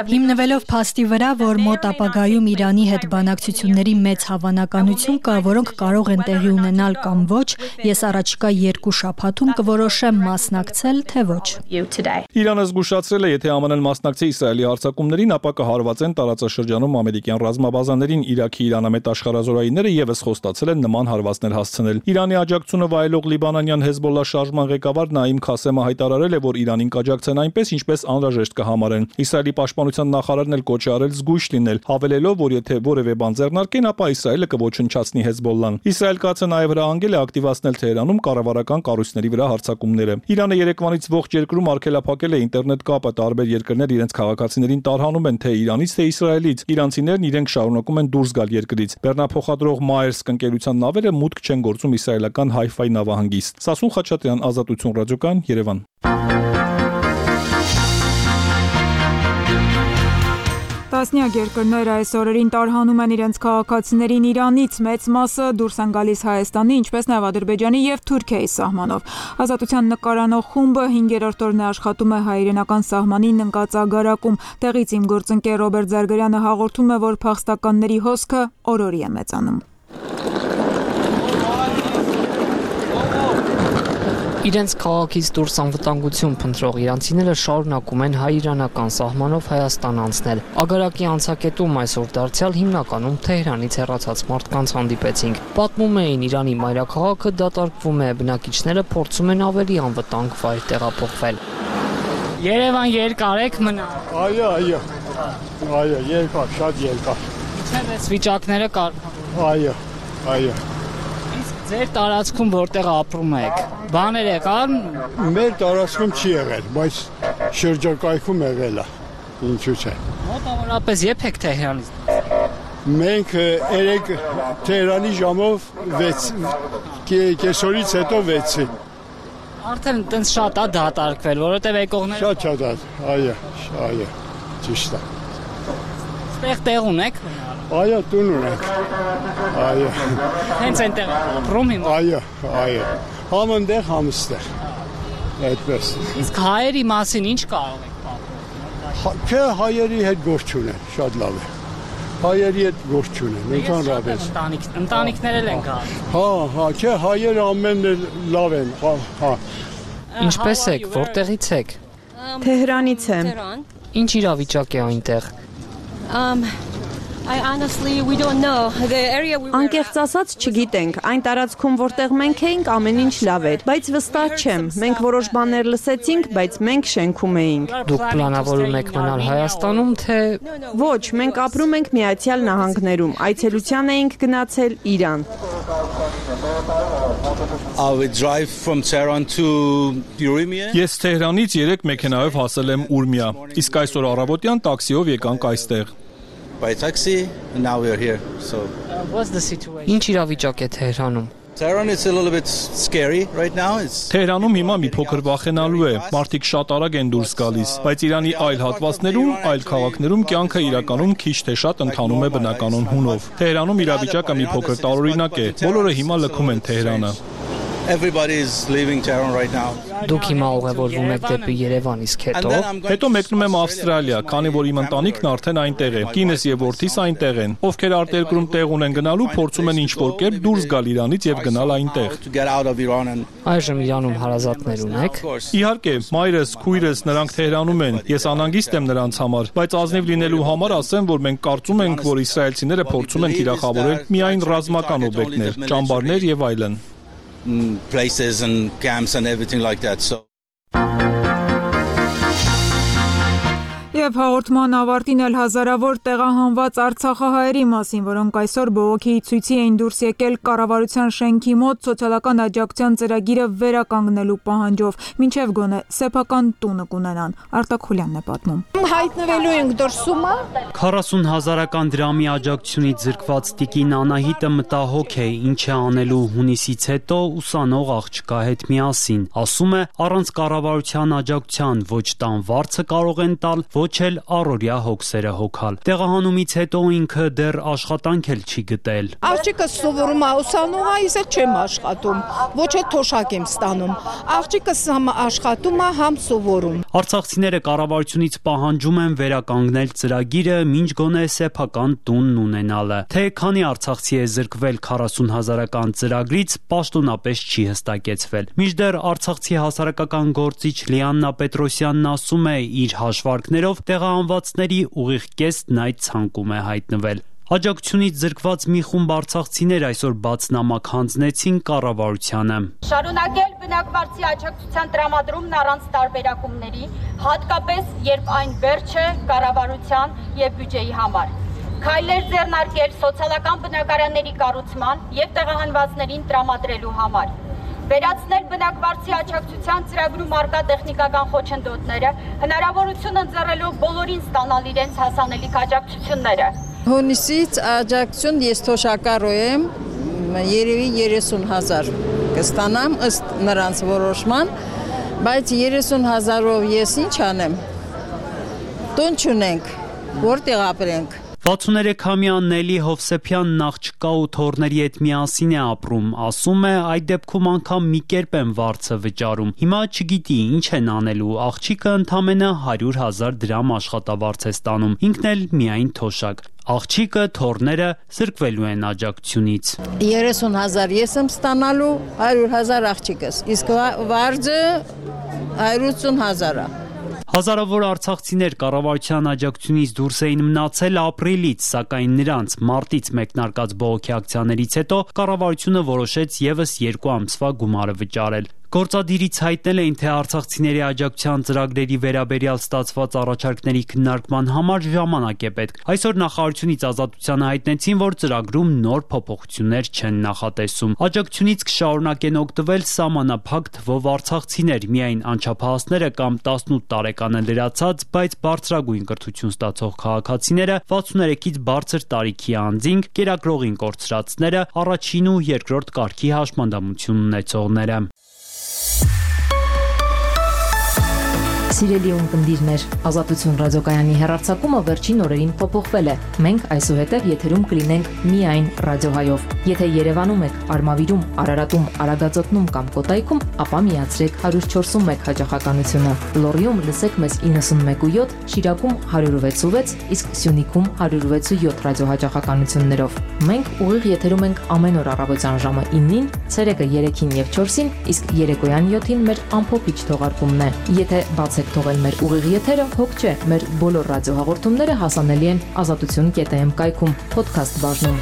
Հիմնվելով փաստի վրա, որ մոտ ապագայում Իրանի հետ բանակցությունների մեծ հավանականություն կա, որոնք կարող են տեղի ունենալ կամ ոչ, ես առաջիկա երկու շաբաթում կորոշեմ մասնակցել, թե ոչ։ Իրանը զգուշացրել է, եթե ԱՄՆ-ն մասնակցի Իսրայելի հարձակումներին, ապա կհարվածեն տարածաշրջանում ամերիկյան ռազմաբազաներին։ Իրաքի իրանամետ աշխարհազորայինները եւս խոստացել են նման հարվածներ հասցնել։ Իրանի աջակցությունը վայելող լիբանանյան Հեզբոլլա շարժման ղեկավար Նաիմ Քասեմը հայտարարել է, որ Իրանին կաջակցեն այնպես, ինչպես անհրաժեշտ կհամարեն։ Իսրայելի պաշտպանության նախարարն էլ կոչ է արել զգույշ լինել, հավելելով, որ եթե որևէ բան ձեռնարկեն, ապա Իսրայելը կոչնչացնի Հեզբոլլան։ Իսրայել կացը նաև հրահանգել է ակտիվացնել Թեհրանում կառավարական կառույցների վրա հարձակումները։ Իրանը երեկվանից ողջ երկրում արգելափակել է ինտերնետ կապը, տարբեր երկրներ իրենց քաղաքացիներին տարհանում են թե Իրանից, թե Իսրայելից։ Իրանցիներն իրենք շարունակում են դուրս գալ երկրից։ Բեռնափոխադրող Maersk ընկերության նավերը մուտք չեն գործում իսրայելական Հայֆայ նավահանգիստ։ Սասուն Խաչատրյան, Ազատություն ռադիոկայան, Երևան։ Տասնյակ երկրներ այս օրերին տարհանում են իրենց քաղաքացիներին Իրանից, մեծ մասը դուրս են գալիս Հայաստանի, ինչպես նաև Ադրբեջանի եւ Թուրքիայի սահմանով։ Ազատության նկարանող խումբը հինգերորդ օրն է աշխատում է հայ-իրանական սահմանին ընկած ագարակում։ Տեղից իմ գործընկեր Ռոբերտ Զարգարյանը հաղորդում է, որ փախստականների հոսքը օր-օրի է մեծանում։ Իրենց քաղաքից դուրս անվտանգություն փնտրող իրանցիները շարունակում են հայ-իրանական սահմանով Հայաստան անցնել։ Ագարակի անցակետում այսօր դարձյալ հիմնականում Թեհրանից հեռացած մարդկանց հանդիպեցինք։ Պատմում էին, Իրանի մայրաքաղաքը դատարկվում է, բնակիչները փորձում են ավելի անվտանգ վայր տեղափոխվել։ Երևան երկար եք մնալ։ Այո, այո։ Այո, երկար, շատ երկար։ Ինչեր էս վիճակները կար։ Այո, այո։ Ձեր տարածքում որտեղ ապրում եք, բաներ եկան։ Մեր տարածքում չի եղել, բայց շրջակայքում եղել է, ինչու՞ չէ։ Մոտավորապես երբ եք Թեհրանից։ Մենք երեք Թեհրանի ժամով վեց կեսօրից հետո վեցի։ Արդեն տենց շատ է դատարկվել, որովհետև եկողները Շատ շատ է, այո, այո, ճիշտ է։ Ստեղ տեղ ունեք։ Այո, տուն ունենք։ Այո։ Հենց այնտեղ ապրում եմ։ Այո, այո։ Համընդեղ համստեր։ Այդպես։ Իսկ հայերի մասին ինչ կարող եք պատմել։ Չէ, հայերի հետ գործ չունեն, շատ լավ է։ Հայերի հետ գործ չունեն, ընդհանրապես։ Ընտանիքներ են կա։ Հա, հա, չէ, հայերը ամենն էլ լավ են, հա, հա։ Ինչպես եք, որտեղից եք։ Թեհրանից եմ։ Ինչ իրավիճակ է այնտեղ։ I honestly we don't know the area we were Անկեղծ ասած չգիտենք, այն տարածքում որտեղ մենք էինք ամեն ինչ լավ էր, բայց վստահ չեմ, մենք որոշ բաներ լսեցինք, բայց մենք շենքում էինք։ Դուք պլանավորում եք մնալ Հայաստանում, թե Ոչ, մենք ապրում ենք Միացյալ Նահանգներում, այցելության էինք գնացել Իրան։ I will drive from Tehran to Urmia. Ես Թեհրանից երեք մեքենայով հասել եմ Ուրմիա, իսկ այսօր առավոտյան տաքսիով եկանք այստեղ։ By taxi and now we are here. So what's the situation? Ինչ իրավիճակ է Թեհրանում։ Tehran is a little bit scary right now. It's Թեհրանում հիմա մի փոքր վախենալու է, մարդիկ շատ արագ են դուրս գալիս, բայց Իրանի այլ հատվածներում, այլ քաղաքներում կյանքը իրականում քիչ թե շատ ընթանում է բնականon հունով։ Թեհրանում իրավիճակը մի փոքր տարօրինակ է, բոլորը հիմա լքում են Թեհրանը։ Everybody is leaving Tehran right now. Դուք հիմա ուղևորվում եք դեպի Երևան, իսկ հետո Հետո մեկնում եմ Ավստրալիա, քանի որ իմ ընտանիքն արդեն այնտեղ է։ Կինս եւ որդիս այնտեղ են։ Ովքեր արտերկրում տեղ ունեն գնալու, փորձում են ինչ-որ կերպ դուրս գալ Իրանից եւ գնալ այնտեղ։ Այժմ Իրանում հարազատներ ունեք։ Իհարկե, մայրս, քույրս նրանք Թեհրանում են։ Ես անհանգիստ եմ նրանց համար, բայց ազնիվ լինելու համար ասեմ, որ մենք կարծում ենք, որ իսրայելցիները փորձում են թիրախավորել միայն ռազմական օբյեկտներ, ճամբարներ եւ այլն։ Places and camps and everything like that. So Եվ հաղորդման ավարտին էլ հազարավոր տեղահանված արցախահայերի մասին, որոնք այսօր բողոքի ցույցի էին դուրս եկել կառավարության շենքի մոտ սոցիալական աջակցության ծրագիրը վերականգնելու պահանջով, մինչև գոնե սեփական տունը կունենան։ Արտակ Խուլյանն է պատմում։ Հայտնվելու ենք դրսումա։ քառասուն հազարական դրամի աջակցությունից զրկված տիկին Անահիտը մտահոգ է, ինչ է անելու հունիսից հետո ուսանող աղջկա հետ միասին։ Ասում է, առանց կառավարության աջակցության ոչ տան վարձը կարող են տալ, ոչ էլ առօրյա հոգսերը հոգալ։ Տեղահանումից հետո ինքը դեռ աշխատանք էլ չի գտել։ Աղջիկը սովորում է ուսանող, ես էլ չեմ աշխատում, ոչ էլ թոշակ եմ ստանում։ Աղջիկս համ աշխատում է, համ սովորում։ Արցախցիները կառավարությունից պահանջում են վերականգնել ծրագիրը, մինչ գոնե սեփական տունն ունենալը։ Թե քանի արցախցի է զրկվել քառասուն հազարական ծրագրից, պաշտոնապես չի հստակեցվել։ Մինչդեռ արցախցի հասարակական գործիչ Լիաննա Պետրոսյանն ասում է, իր հաշվարկներով տեղահանվածների ուղիղ կեսն այդ ցանկում է հայտնվել։ Աջակցությունից զրկված մի խումբ արցախցիներ այսօր բացնամակ հանձնեցին կառավարությանը։ Շարունակել բնակվարձի աջակցության տրամադրումն առանց տարբերակումների, հատկապես երբ այն վերջ է կառավարության եւ բյուջեի համար։ Քայլեր ձեռնարկել սոցիալական բնակարանների կառուցման եւ տեղահանվածներին տրամադրելու համար։ Վերացնել բնակվարձի աջակցության ծրագրում արկա տեխնիկական խոչընդոտները, հնարավորություն ընձեռելով բոլորին ստանալ իրենց հասանելիք աջակցությունները։ Հունիսից աջակցություն ես թոշակառու եմ, երևի երեսուն հազար կստանամ ըստ նրանց որոշման, բայց երեսուն հազարով ես ինչ անեմ։ Տուն չունենք, որտեղ ապրենք։ վաթսուներեքամյա Նելի Հովսեփյանն աղջկա ու թոռների հետ միասին է ապրում, ասում է, այդ դեպքում անգամ մի կերպ են վարձը վճարում։ Հիմա չգիտի ինչ են անելու, աղջիկը ընդամենը հարյուր հազար դրամ աշխատավարձ է ստանում, ինքն էլ միայն թոշակ։ Աղջիկը, թոռները զրկվելու են աջակցությունից։ երեսուն հազար ես եմ ստանալու, հարյուր հազար աղջիկս, իսկ վարձը հարյուր ութսուն հազար է։ Հազարավոր արցախցիներ կառավարության աջակցությունից դուրս էին մնացել ապրիլից, սակայն նրանց մարտից մեկնարկած բողոքի ակցիաներից հետո կառավարությունը որոշեց ևս երկու ամսվա գումարը վճարել։ Գործադիրից հայտնել էին, թե արցախցիների աջակցության ծրագրերի վերաբերյալ ստացված առաջարկների քննարկման համար ժամանակ է պետք։ Այսօր նախարարությունից ազատությանը հայտնեցին, որ ծրագրում նոր փոփոխություններ չեն նախատեսում։ Աջակցությունից կշարունակեն օգտվել սահմանափակ թվով արցախցիներ, միայն անչափահասները կամ տասնութ տարեկանը լրացած, բայց բարձրագույն կրթություն ստացող քաղաքացիները, վաթսուներեքից բարձր տարիքի անձինք, կերակրողին կորցրածները, առաջին ու երկրորդ կարգի հաշմանդամություն ունեցողները։ Սիրելի ունկնդիրներ, Ազատություն ռադիոկայանի հեռարձակումը վերջին օրերին փոփոխվել է։ Մենք այսուհետև եթերում կլինենք միայն ռադիոհայով։ Եթե Երևանում եք, Արմավիրում, Արարատում, Արագածոտնում կամ Կոտայքում, ապա միացրեք one oh four one հաճախականությունը։ Լոռիում լսեք մեզ ninety-one point seven, Շիրակում one oh six point six, իսկ Սյունիքում one oh six point seven ռադիոհաճախականություններով։ Մենք ուղիղ եթերում ենք ամեն օր առավոտյան ժամը nine-ին, ցերեկը three-ին եւ four-ին, իսկ երեկոյան seven-ին մեր ամփոփիչ թողարկումն է։ Եթե բացեք թողել մեր ուղիղ եթերը, հոգ չէ, մեր բոլոր ռադիոհաղորդումները հասանելի են ազատություն կետ am կայքում, podcast բաժնում։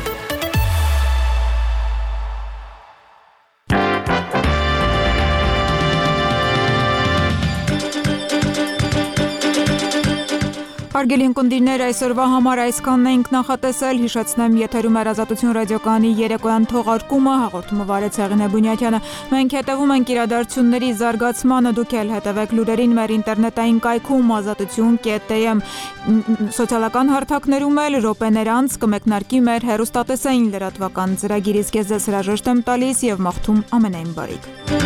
Հարգելի ունկնդիրներ, այսօրվա համար այսքանն ենք նախատեսել, հիշեցնեմ եթերում էր Ազատություն ռադիոկայանի երեկոյան թողարկումը, հաղորդումը վարեց Հեղինե Բունյաթյանը։ Մենք հետևում ենք իրադարձությունների զարգացմանը, դուք էլ հետևեք լուրերին մեր ինտերնետային կայքում ազատություն կետ am, սոցիալական հարթակներում էլ րոպեներ անց կմեկնարկի մեր հեռուստատեսային լրատվական ծրագիր, իսկ ես ձեզ հրաժեշտ եմ տալիս եւ մաղթում ամենայն բարիք։